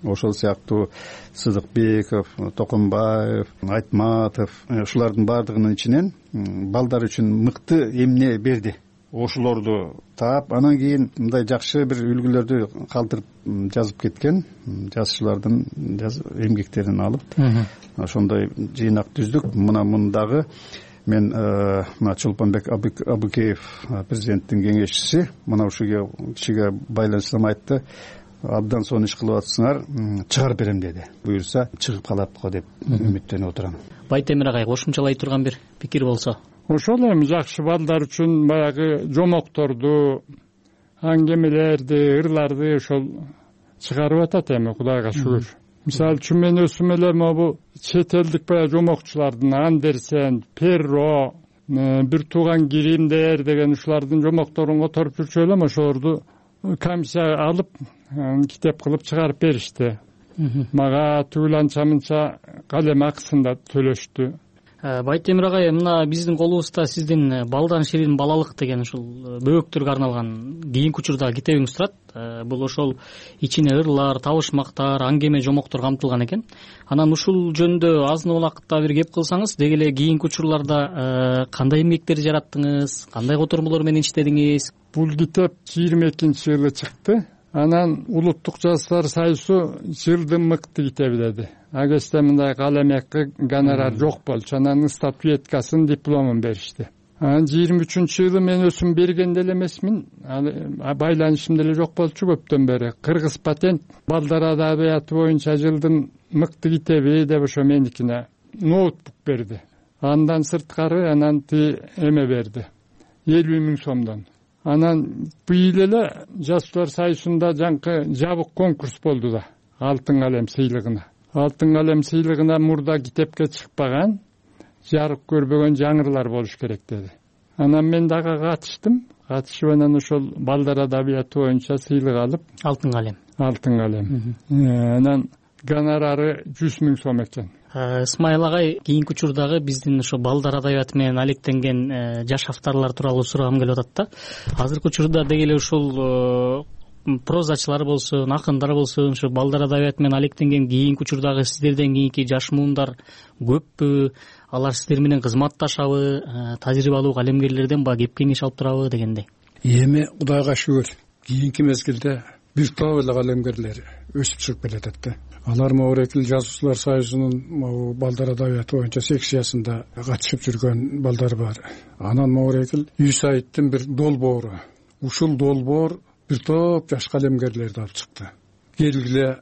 Ошол сыяктуу Сыдыкбеков, Токонбаев, Айтматов, ушулардын баардыгынын ичинен балдар үчүн мыкты эмне берди. Ошолорду таап, анан кийин мындай жакшы бир үлгүлөрдү калтырып жазып кеткен жазуучулардын эмгектерин алып, ошондой жыйнак түздүк. Мына мындагы мен мына Чолпонбек Абыкеев, президенттин кеңешчиси, мына ушуга кишиге байланыштырып айтты. Абдан сонун иш кылып атсыңар, чыгарып берем деди. Буюрса чыгып калат го деп үмүттөнүп отурам. Байтемир агай, кошумчалай турган бир пикир болсо. Ошол эми жакшы балдар үчүн баягы жомокторду, аңгемелерди, ырларды ошол чыгарып атат эми, Кудайга шүгүр. Мисалы үчүн мен өзүм эле могу чет элдик баягы жомокчулардын Андерсен, Перро, бир тууган Гримдер деген ушулардын жомокторун которуп жүрчү элем, ошолорду комиссия алып китеп кылып чыгарып беришти. Мага түгүл анча мынча калем акысын да төлөштү. Байтемир агай, мына биздин колубузда сиздин балдан ширин балалык деген ушул бөбөктөргө арналган кийинки учурдагы китебиңиз турат. Бул ошол ичине ырлар, табышмактар, аңгеме, жомоктор камтылган экен. Анан ушул жөнүндө азын убакытта бир кеп кылсаңыз, деги эле кийинки учурларда кандай эмгектер жараттыңыз, кандай котормолор менен иштедиңиз? Бул китеп 22-жылы чыкты. Анан Улуттук Жаштар союзу жылдын мыкты китеби деди. А кезде мындай калем акы, гонорар жок болчу. Анан статуэткасын, дипломун беришти. Анан 23-жылы мен өзүм берген деле эмесмин. Байланышым деле жок болчу көптөн бери. Кыргыз патент балдар адабияты боюнча жылдын мыкты китеби деп ошо меникине ноутбук берди. Андан сырткары анан эме берди. 50.000 сомдон. Анан быйыл эле Жаштар союзунда жаңкы жабык конкурс болду да, Алтын калем сыйлыгына. Алтын калем сыйлыгына мурда китепке чыкпаган, жарык көрбөгөн жаңырлар болуш керек деди. Анан мен дагы катышып анан ошол балдар адабияты боюнча сыйлык алып, Алтын калем. Анан гонорары 100.000 сом экен. Исмайыл агай, кийинки учурдагы биздин ошо балдар адабияты менен алектенген жаш авторлор тууралуу сурагым келип атат да. Азыркы учурда деги эле ушул прозачылар болсун, акындар болсун, ошо балдар адабияты менен алектенген кийинки учурдагы сиздерден кийинки жаш муундар көппү? Алар сиздер менен кызматташабы? Тажрыйбалуу калемгерлерден баягы кеп кеңеш алып турабы дегендей. Эми Кудайга шүгүр, кийинки мезгилде бир топ эле калемгерлер өсүп чыгып келатат да. Алар Моорекил жазуучулар союзунун балдар адабияты боюнча секциясында катышып жүргөн балдар бар. Анан Моорекил Юсайиттин бир долбоору. Ушул долбоор бир топ жаш калемгерлерди алып чыкты. Келгиле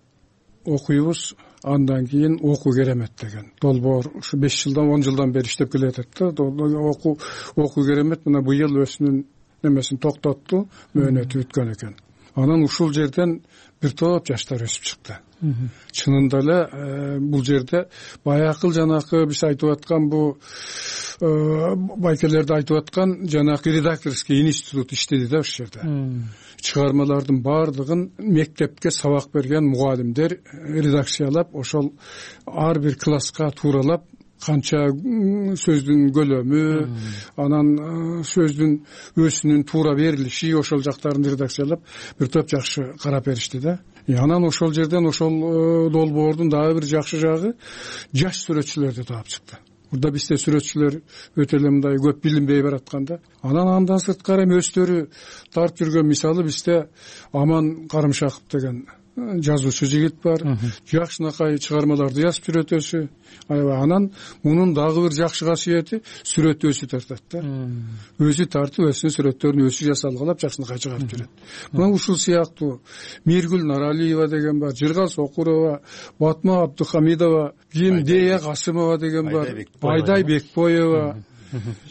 окуйбуз, андан кийин окуу керемет деген долбоор. Ушу 5 жылдан 10 жылдан бери иштеп келатат да. Окуу керемет мына быйыл өзүнүн немесин токтотту, мөөнөтү бүткөн экен. Анан ушул жерден бир топ жаштар өсүп чыкты. Чынында эле бул жерде баякыл жанакы биз айтып аткан бу байкелерди айтып аткан жанакы редакторский институт иштеди да ушул жерде. Чыгармалардын баардыгын мектепке сабак берген мугалимдер редакциялап, ошол ар бир класска тууралап, канча сөздүн көлөмү, анан сөздүн өзүнүн туура берилиши, ошол жактарын редакциялап бир топ жакшы карап беришти да. Анан ошол жерден ошол долбоордун дагы бир жакшы жагы жаш сүрөтчүлөрдү таап чыкты. Бурда бизде сүрөтчүлөр өтө эле мындай көп билинбей бараткан да. Андан сырткары өздөрү тартып жүргөн, мисалы бизде Аман Карымшаков деген жазуучу жигит бар, жакшынакай чыгармаларды жазып жүрөт өзү. Анан мунун дагы бир жакшы касиети сүрөт өзү тартат да. Өзү тартып, өзүнүн сүрөттөрүн өзү жасалгалап жакшынакай чыгарып жүрөт. Мына ушул сыяктуу Миргүл Наралиева деген бар, Жыргал Сокурова, Батма Абдухамидова, Дея Касымова деген бар, Байдай Бекбоева,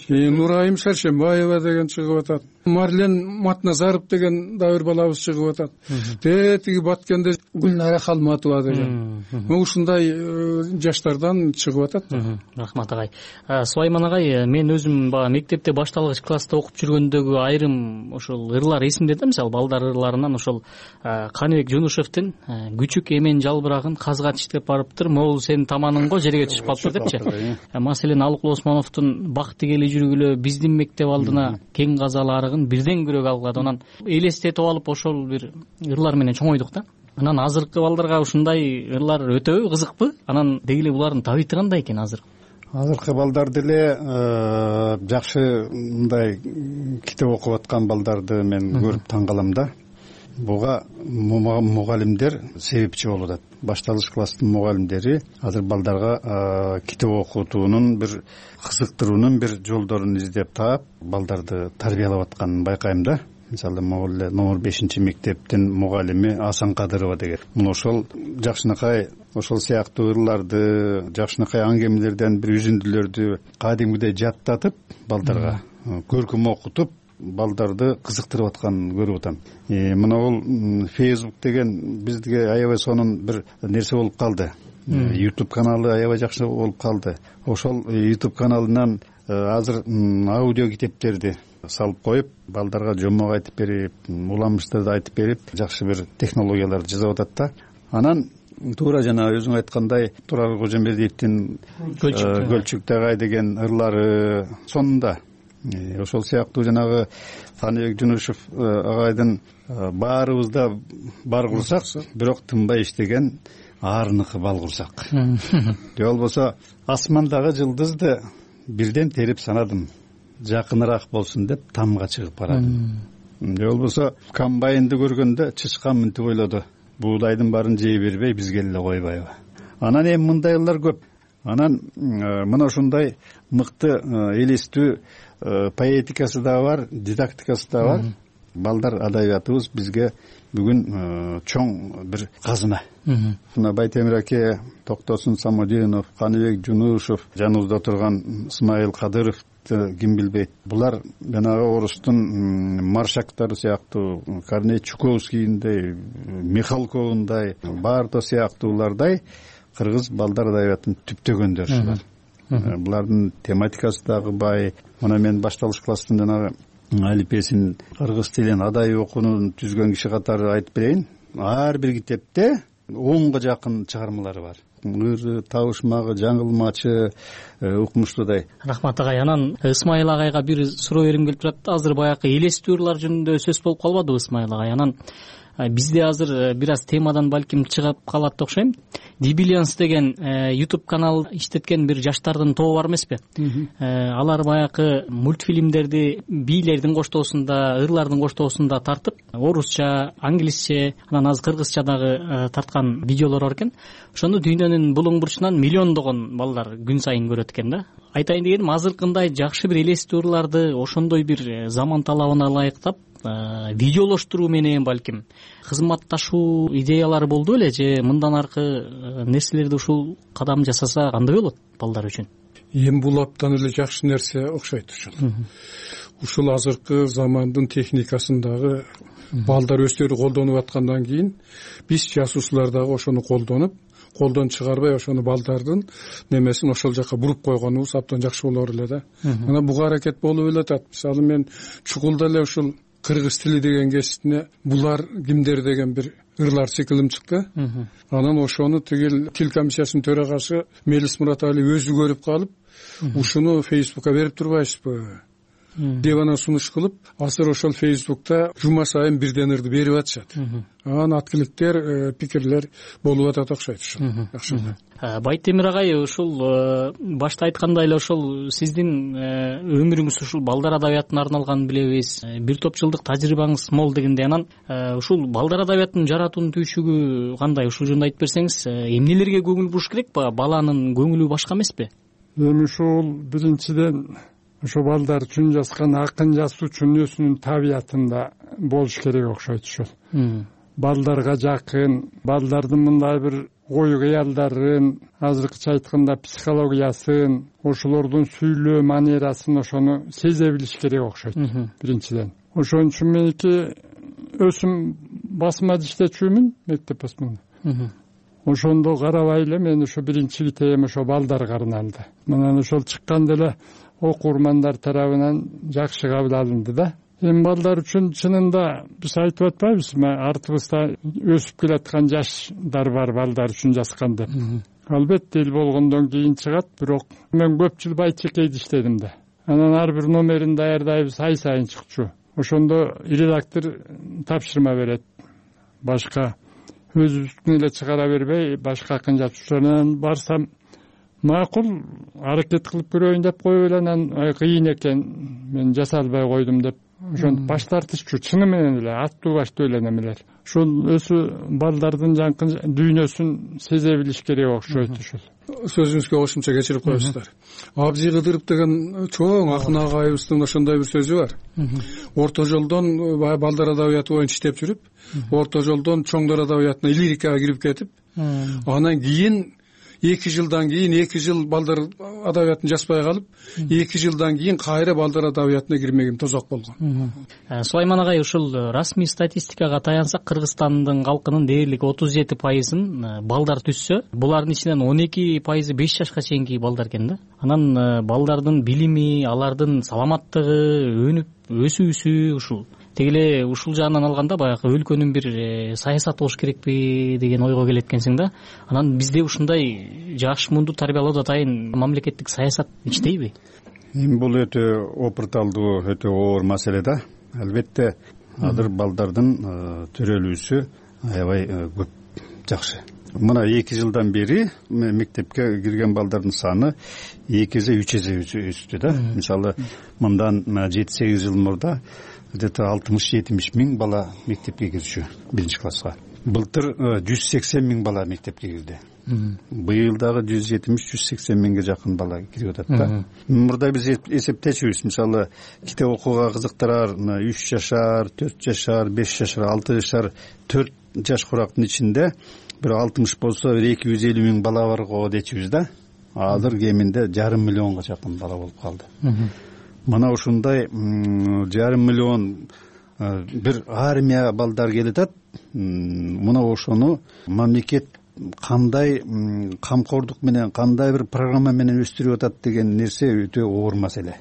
Нурайым Саршембаева деген чыгып атат. Марлен Матназаров деген дагы бир балабыз чыгып атат. Тиги Баткенде Гүлнара Халматова деген. Ушундай жаштардан чыгып атат. Рахмат агай. Сулайман агай, мен өзүм баа мектепте башталгыч класста окуп жүргөндөгү айрым ошол ырлар эсимде да. Мисалы балдар ырларынан ошол Каныбек Жунушевдин күчүк эмен жалбырагын казга тиштеп барыптыр, могул сенин таманың го жерге түшүп калыптыр депчи. Маселен Алыкул Осмоновдун бак тигели жүргүлө биздин мектеп алдына кең казалы арыгын бирден күрөк алгады. Анан элестетип алып ошол бир ырлар менен чоңойдук да. Анан азыркы балдарга ушундай ырлар өтө кызыкпы? Анан деги эле булардын табити кандай экен азыр? Азыркы балдар деле жакшы мындай китеп окуп аткан балдарды мен көрүп таң калам да. Буга мугалимдер себепчи болуп атат. Башталгыч класстын мугалимдери азыр балдарга китеп окутуунун бир кызыктыруунун бир жолдорун издеп таап, балдарды тарбиялап атканын байкайм да. Мисалы, номер 5-мектептин мугалими Асан Кадырова деген. Мына ошол жакшынакай ошол сыяктуу ырларды, жакшынакай аңгемелерден бир үзүндүлөрдү кадимгидей жаттатып, балдарга көркөм окутуп, балдарды кызыктырып атканын көрүп атам. Мына бул Facebook деген бизге аябай сонун бир нерсе болуп калды. YouTube каналы аябай жакшы болуп калды. Ошол YouTube каналынан азыр аудио китептерди салып коюп, балдарга жомок айтып берип, уламыштарды айтып берип, жакшы бир технологияларды жасап атат да. Анан туура жана өзүң айткандай Турар Кожомбердиевдин Көлчүктө агай деген ырлары сонунда. Ошол сыяктуу жанагы Каныбек Жунушев агайдын баарыбызда бар курсак, бирок тынбай иштеген аарыныкы бал курсак. Же болбосо асмандагы жылдызды бирден терип санадым, жакыныраак болсун деп тамга чыгып барадым. Же болбосо комбайнды көргөндө чычкан мынтип ойлоду, буудайдын баарын жей бербей бизге эле койбайбы. Анан эми мындайлар көп. Анан мына ушундай мыкты элестүү поэтикасы да бар, дидактикасы да бар. Балдар адабиятыбыз бизге бүгүн чоң бир казына. Мына Байтемир аке, Токтосун Самодинов, Каныбек Жунушев, жаныбызда турган Исмаил Кадыров ким билбейт. Булар жанагы орустун маршактары сыяктуу, Корней Чуковскийиндей, Михалковундай, Барто сыяктуулардай кыргыз балдар адабиятын түптөгөндөр ушулар. Булардын тематикасы дагы бай. Мына мен башталыш класстын жанагы алипесин кыргыз тилин адай окуунун түзгөн киши катары айтып берейин. Ар бир китепте 10га жакын чыгармалары бар. Ыры, табышмагы, жаңылмачы, укмуштуудай. Рахмат агай. Анан Исмаил агайга бир суроо берим келип турат. Азыр баягы элестүү ырлар жөнүндө сөз болуп калбадыбы Исмаил агай? Анан бизде азыр бир аз темадан балким чыгып калат окшойм. Дибилианс деген YouTube канал иштеткен бир жаштардын тобу бар эмеспи? Алар баягы мультфильмдерди бийлердин коштоосунда, ырлардын коштоосунда тартып, орусча, англисче, анан азыр кыргызча дагы тарткан видеолор бар экен. Ошону дүйнөнүн булуң бурчунан миллиондогон балдар күн сайын көрөт экен да. Айтайын дегеним, азыркындай жакшы бир элестүү ырларды ошондой бир заман талабына ылайыктап видеолоштуруу менен балким кызматташуу идеялары болду эле, же мындан аркы нерселерди ушул кадам жасаса кандай болот балдар үчүн? Эми бул абдан эле жакшы нерсе окшойт ушул. Ушул азыркы замандын техникасындагы балдар өздөрү колдонуп аткандан кийин биз жасуучулар дагы ошону колдон чыгарбай ошону балдардын немесин ошол жака буруп койгонубуз абдан жакшы болор эле да. Мына буга аракет болуп эле атат. Мисалы мен чукулда эле ушул кыргыз тили деген кесиптине булар кимдер деген бир ырлар циклим чыкты. Анан ошону тигил тил комиссиясынын төрагасы Мелис Муратали өзү көрүп калып, ушуну Facebook'a берип турбайсызбы деп анан сунуш кылып, азыр ошол Facebook'та жума сайын бирден ырды берип атышат. Анан аткиликтер, пикирлер болуп атат окшойт ушул. Жакшы. Байтемир агай, ушул башта айткандай эле ошол сиздин өмүрүңүз ушул балдар адабиятына арналганын билебиз. Бир топ жылдык тажрыйбаңыз мол дегенде, анан ушул балдар адабиятын жаратуунун түйшүгү кандай? Ушул жөнүндө айтып берсеңиз, эмнелерге көңүл буруш керек? Баланын көңүлү башка эмеспи? Эми ушул биринчиден ошо балдар үчүн жазган акын жазуучунун өзүнүн табиятында болуш керек окшойт ушул. Балдарга жакын, балдардын мындай бир ой кыялдарын, азыркыча айтканда психологиясын, ошолордун сүйлөө манерасын ошону сезе билиш керек окшойт биринчиден. Ошон үчүн меники өзүм басмада иштечүмүн, мектеп басмада. Ошондо карабай эле мен ошо биринчи китебим ошо балдарга арналды. Мына ошол чыкканда эле окурмандар тарабынан жакшы кабыл алынды да. Эми балдар үчүн чынында биз айтып атпайбызбы, артыбызда өсүп келаткан жаштар бар балдар үчүн жазган деп. Албетте эл болгондон кийин чыгат, бирок мен көп жыл Байчекейде иштедим да. Анан ар бир номерин даярдайбыз, ай сайын чыкчу. Ошондо редактор тапшырма берет. Башка өзүбүздүн эле чыгара бербей, башка акын жазуучулардан барсам, макул аракет кылып көрөйүн деп коюп эле, анан кыйын экен, мен жаса албай койдум деп ошентип баш тартышчу. Чыны менен эле аттуу баштуу эле немелер. Ушул өзү балдардын жанкы дүйнөсүн сезе билиш керек окшойт ушул. Сөзүңүзгө кошумча кечирип коесуздар. Абзый Кыдыров деген чоң акын агайыбыздын ошондой бир сөзү бар. Орто жолдон балдар адабияты боюнча иштеп жүрүп, орто жолдон чоңдор адабиятына, лирикага кирип кетип, анан кийин 2 жылдан кийин 2 жыл балдар адабиятын жазбай калып 2 жылдан кийин кайра балдар адабиятына кирмеген тозок болгон. Сулайман агай, ушул расмий статистикага таянсак, Кыргызстандын калкынын дээрлик 37% балдар түзсө, булардын ичинен 12% 5 жашка чейинки балдар экен да. Анан балдардын билими, алардын саламаттыгы, өнүп өсүүсү ушул теги эле ушул жаанан алганда баягы өлкөнүн бир саясаты болуш керекпи деген ойго келет экенсиң да. Анан бизде ушундай жаш мунду тарбиялоодо атайын мамлекеттик саясат иштейби? Бул өтө опурталдуу, өтө оор маселе да. Албетте азыр балдардын төрөлүүсү аябай көп, жакшы. Мына 2 жылдан бери мектепке кирген балдардын саны 2 эсе 3 эсе өстү да. Мисалы, мындан 7-8 жыл мурда где-то 60-70 миң бала мектепке кирчү 1 класска. Былтыр 180 миң бала мектепке кирди. Быйыл дагы 170-180 миңге жакын бала кирип атат да. Мурда биз эсептечүбүз, мисалы, китеп окууга кызыктырар 3 жашар, 4 жашар, 5 жашар, 6 жашар, 4 жаш курактын ичинде бир 60 болсо 250 миң бала бар го дечүбүз да. Азыр кеминде 500 миллионго жакын бала болуп калды. Мына ушундай 500 миллион бир армия балдар келатат. Мына ошону мамлекет кандай камкордук менен, кандай бир программа менен өстүрүп атат деген нерсе өтө оор маселе.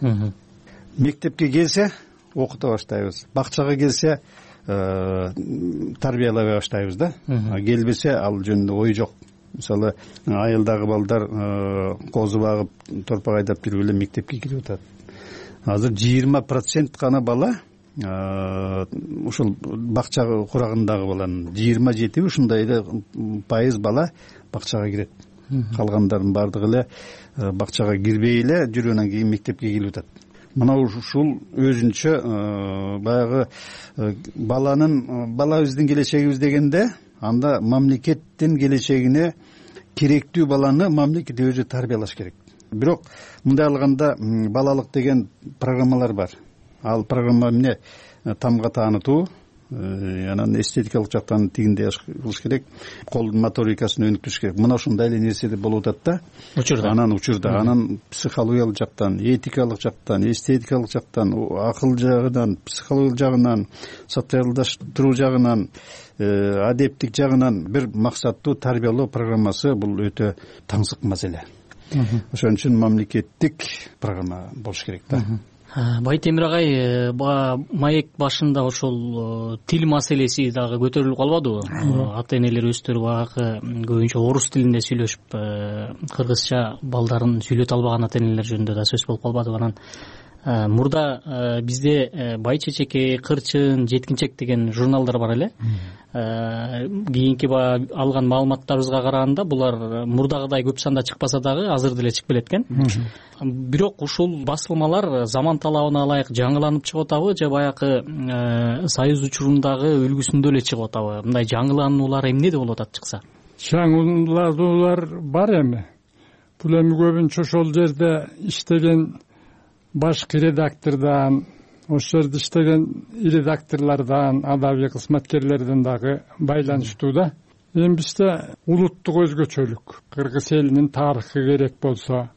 Мектепке келсе окута баштайбыз, бакчага келсе тарбиялай баштайбыз да. Келбесе ал жөнүндө ой жок. Мисалы, айылдагы балдар козу багып, торпак айдап жүрүп эле мектепке кирип атат. Азыр 20% гана бала ушул бакча курагындагы баланын 27 ушундай эле пайыз бала бакчага кирет. Калгандардын бардыгы эле бакчага кирбей эле жүрүп анан кийин мектепке келип атат. Мына ушул өзүнчө баягы балабыздын келечегибиз дегенде, анда мамлекеттин келечегине керектүү баланы мамлекет өзү тарбиялаш керек. Бирок мындай алганда балалык деген программалар бар. Ал программа эмне? Тамга таанытуу, анан эстетикалык жактан тигиндей кылыш керек, кол моторикасын өнүктүрүш керек. Мына ушундай эле нерселер болуп атат да. Учурда, анан психологиялык жактан, этикалык жактан, эстетикалык жактан, акыл жагынан, психологиялык жагынан, социалдаштыруу жагынан, адептик жагынан бир максаттуу тарбиялоо программасы бул өтө таңсык маселе. Ошон үчүн мамлекеттик программа болуш керек да. Байтемир агай, маек башында ошол тил маселеси дагы көтөрүлүп калбадыбы? Ата-энелер өздөрү багы көбүнчө орус тилинде сүйлөшүп, кыргызча балдарын сүйлөтө албаган ата-энелер жөнүндө да сөз болуп калбадыбы? Анан мурда бизде Бай чечеке, Кырчын, Жеткинчек деген журналдар бар эле. Кийинки алган маалыматтарыбызга караганда булар мурдагыдай көп санда чыкпаса дагы азыр деле чыгып келет экен. Бирок ушул басылмалар заман талабына ылайык жаңыланып чыгып атабы же баягы союз учурундагы үлгүсүндө эле чыгып атабы? Мындай жаңылануулар эмнеде болуп атат чыкса? Жаңылануулар бар эми. Бул эми көбүнчө ошол жерде иштеген башкы редактордон, ошол жерде иштеген редакторлордон, адабий кызматкерлерден дагы байланыштуу да. Эми бизде улуттук өзгөчөлүк, кыргыз элинин тарыхы керек болсо,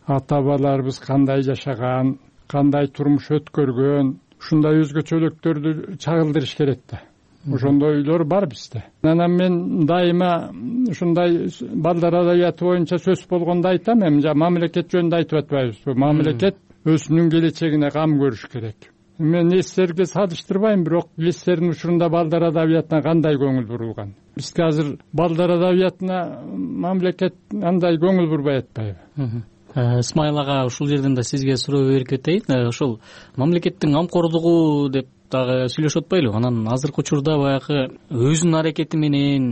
ата-бабаларыбыз кандай жашаган, кандай турмуш өткөргөн, ушундай өзгөчөлүктөрдү чагылдырыш керек да. Ошондой үйлөр бар бизде. Анан мен дайыма ушундай балдар адабияты боюнча сөз болгондо айтам, эми мамлекет жөнүндө айтып атпайбызбы? Мамлекет өзүнүн келечегине кам көрүш керек. Мен эстерге салыштырбайм, бирок эстердин учурунда балдар адабиятына кандай көңүл бурулган? Бизге азыр балдар адабиятына мамлекет андай көңүл бурбай атпайбы? Исмайыл ага, ушул жерден да сизге суроо берип кетейин. Ошол мамлекеттин камкордугу деп дагы сүйлөшүп атпайлыбы? Анан азыркы учурда баягы өзүнүн аракети менен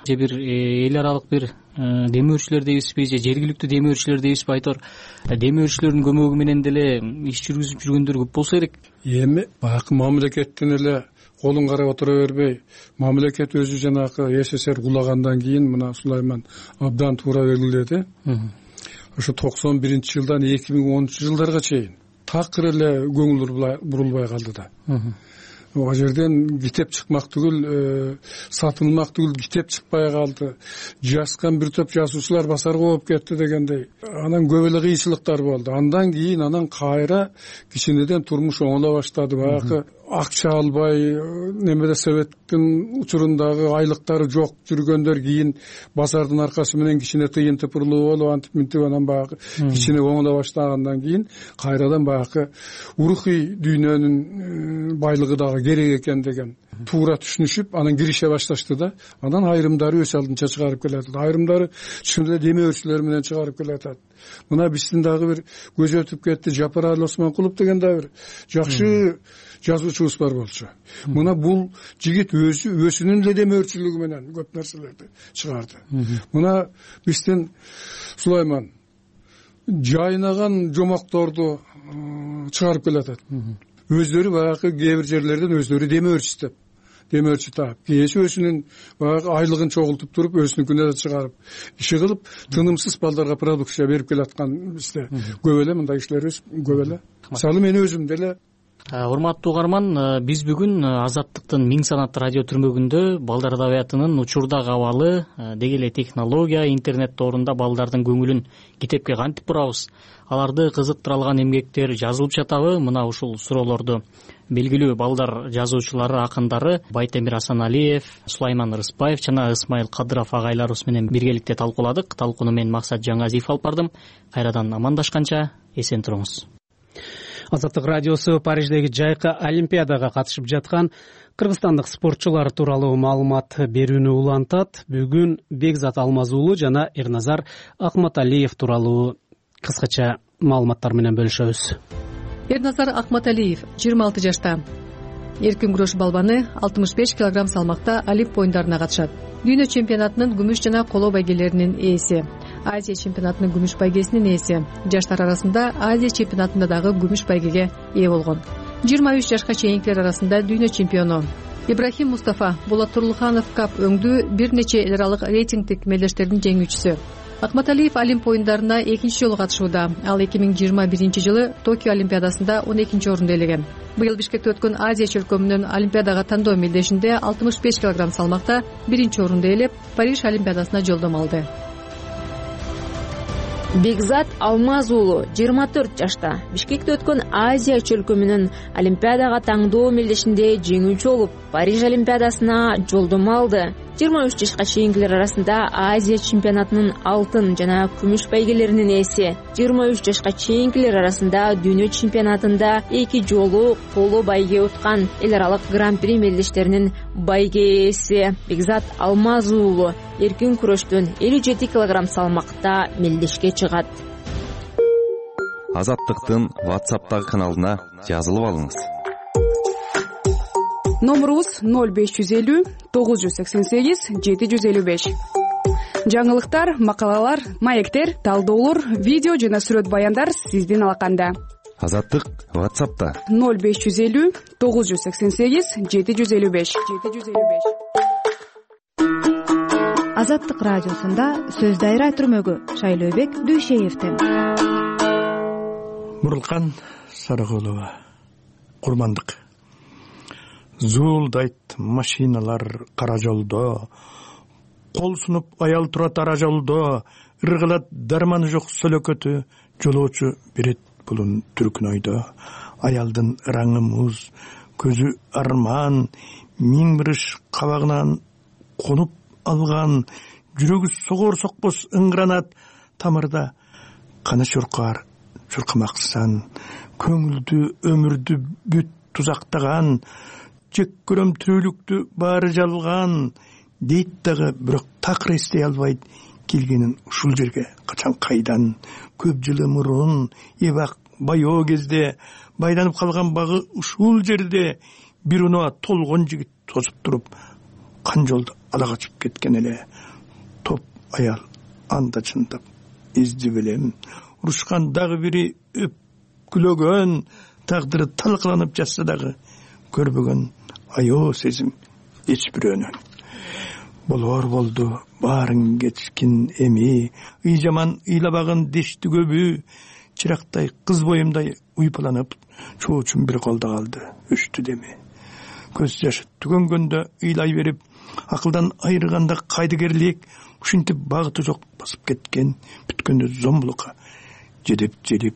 же бир эл аралык бир демөөрчүлөр дейбизби, же жергиликтүү демөөрчүлөр дейбизби, айтор демөөрчүлөрдүн көмөгү менен деле иш жүргүзүп жүргөндөр көп болсо керек. Эми баягы мамлекеттин эле колун карап отура бербей, мамлекет өзү жанагы СССР кулагандан кийин мына Сулайман абдан туура белгиледи. Ошо 91-жылдан 2010-жылдарга чейин такыр эле көңүл бурулбай калды да. ал жерден китеп чыкмак түгүл, сатылмак түгүл китеп чыкпай калды, жазган бир топ жазуучулар басарга болуп кетти дегендей. Анан көп эле кыйынчылыктар болду. Андан кийин кайра кичинеден турмуш оңоло баштады. Баягы акча албай, немеде советтин учурундагы айлыктары жок жүргөндөр кийин базардын аркасы менен кичине тыйын тыпырлуу болуп, антип мынтип анан баягы кичине оңоло баштагандан кийин кайрадан баягы урухий дүйнөнүн байлыгы дагы керек экен деген туура түшүнүшүп, анан кирише башташты да. Анан айрымдары өз алдынча чыгарып келатат, айрымдары чын эле демөөрчүлөр менен чыгарып келатат. Мына биздин дагы бир көз өтүп кетти, Жапаралы Осмонкулов деген дагы бир жакшы жазуучубуз бар болчу. Мына бул жигит өзүнүн эле демөөрчүлүгү менен көп нерселерди чыгарды. Мына биздин Сулайман жайнаган жомокторду чыгарып келатат. Өздөрү баягы кээ бир жерлерден өздөрү демөөрчү таап, кээси өзүнүн баягы айлыгын чогултуп туруп, өзүнүкүнө да чыгарып, иши кылып, тынымсыз балдарга продукция берип келаткан бизде көп эле мындай кишилерибиз көп эле. Мисалы мен өзүм деле. Урматтуу угарман, биз бүгүн Азаттыктын Миң санат радио түрмөгүндө балдар адабиятынын учурдагы абалы, деги эле технология, интернет тоорунда балдардын көңүлүн китепке кантип бурабыз, аларды кызыктыра алган эмгектер жазылып жатабы? Мына ушул суроолорду белгилүү балдар жазуучулары, акындары Байтемир Асаналиев, Сулайман Рыспаев жана Ысмайыл Кадыров агайларыбыз менен биргеликте талкууладык. Талкууну мен Максат Жаңазиев алып бардым. Кайрадан амандашканча эсен туруңуз. Азаттык радиосу Париждеги жайкы олимпиадага катышып жаткан кыргызстандык спортчулар тууралуу маалымат берүүнү улантат. Бүгүн Бекзат Алмазуулу жана Эрназар Акматалиев тууралуу кыскача маалыматтар менен бөлүшөбүз. Эрназар Акматалиев 26 жашта. Эркин күрөш балбаны 65 кг салмакта Олимп оюндарына катышат. Дүйнө чемпионатынын күмүш жана коло байгелеринин ээси, Азия чемпионатынын күмүш байгесинин ээси, жаштар арасында Азия чемпионатында дагы күмүш байгеге ээ болгон. 23 жашка чейинкилер арасында дүйнө чемпиону. Ибрахим Мустафа Болот Турлуханов кап өңдүү бир нече эл аралык рейтингдик мелдештердин жеңүүчүсү. Акматалиев Олимп оюндарына экинчи жолу катышууда. Ал 2021 жылы Токио олимпиадасында 12 орунду ээлеген. Быйыл Бишкекте өткөн Азия чөлкөмүнүн олимпиадага тандоо мелдешинде 65 кг салмакта биринчи орунду ээлеп, Париж олимпиадасына жолдомо алды. Бекзат Алмазуулу 24 жашта. Бишкекте өткөн Азия чөлкөмүнүн олимпиадага тандоо мелдешинде жеңүүчү болуп, Париж олимпиадасына жолдомо алды. 23 жашка чейинкилер арасында Азия чемпионатынын алтын жана күмүш байгелеринин ээси. 23 жашка чейинкилер арасында дүйнө чемпионатында 2 жолу коло байге уткан, эл аралык гран-при мелдештеринин байге ээси Бекзат Алмазуулу эркин күрөштөн 57 кг салмакта мелдешке чыгат. Азаттыктын WhatsApp'тагы каналына жазылып алыңыз. Номерубуз 0550 988 755. Жаңылыктар, макалалар, маектер, талдоолор, видео жана сүрөт баяндар сиздин алаканда. Азаттык WhatsApp'та 0550 988 755. Азаттык радиосунда сөз дайра түрмөгү Шайлообек Дүйшеевден. Мурулкан Сарыгулова, курмандык. Зуулдайт машиналар кара жолдо, кол сунуп аял турат ара жолдо, ыргылат дарманы жок сөлөкөтү, жолоочу берет булун түркүн ойдо. Аялдын ыраңы муз, көзү арман, миң бир ыш кабагынан конуп алган, жүрөгү согор сокпос ыңгранат тамырда. Каны чуркар, чуркамаксан, көңүлдү өмүрдү бүт тузактаган, жек көрөм тирүүлүктү баары жалган, дейт дагы бирок такыр эстей албайт келгенин ушул жерге качан кайдан. Көп жылы мурун эбак байоо кезде байланып калган багы ушул жерде бир унаа толгон жигит тосуп туруп, кан жолдо ала качып кеткен эле. Топ аял анда чындап издеп элем, урушкан дагы бири өпкүлөгөн, тагдыры талкаланып жатса дагы көрбөгөн аяоо сезим эч бирөөнөн. Болор болду баарын кечкин эми, ый жаман ыйлабагын дешти көбү, чырактай кыз боюмдай уйпаланып, чоочум бир колдо калды өчтү деми. көз жашы түгөнгөндө ыйлай берип, акылдан айырганда кайдыгерлик, ушинтип багыты жок басып кеткен, бүткөндө зомбулукка жедеп желип,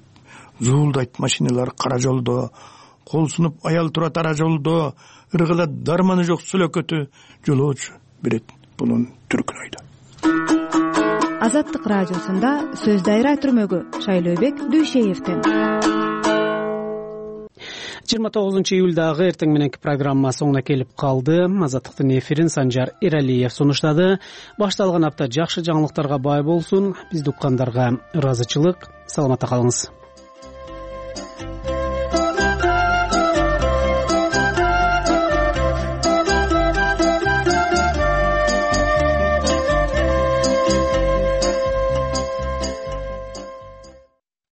зуулдайт машиналар кара жолдо, кол сунуп аял турат ара жолдо, ыргылат дарманы жок сөлөкөтү, жолоочу берет bunun түркүн ойдо. Азаттык радиосунда сөз дайра түрмөгү Шайлообек Дүйшеевден. 29 июлдагы эртең мененки программа соңуна келип калды. Азаттыктын эфирин Санжар Эралиев сунуштады. Башталган апта жакшы жаңылыктарга бай болсун. Бизди уккандарга ыраазычылык. Саламатта калыңыз.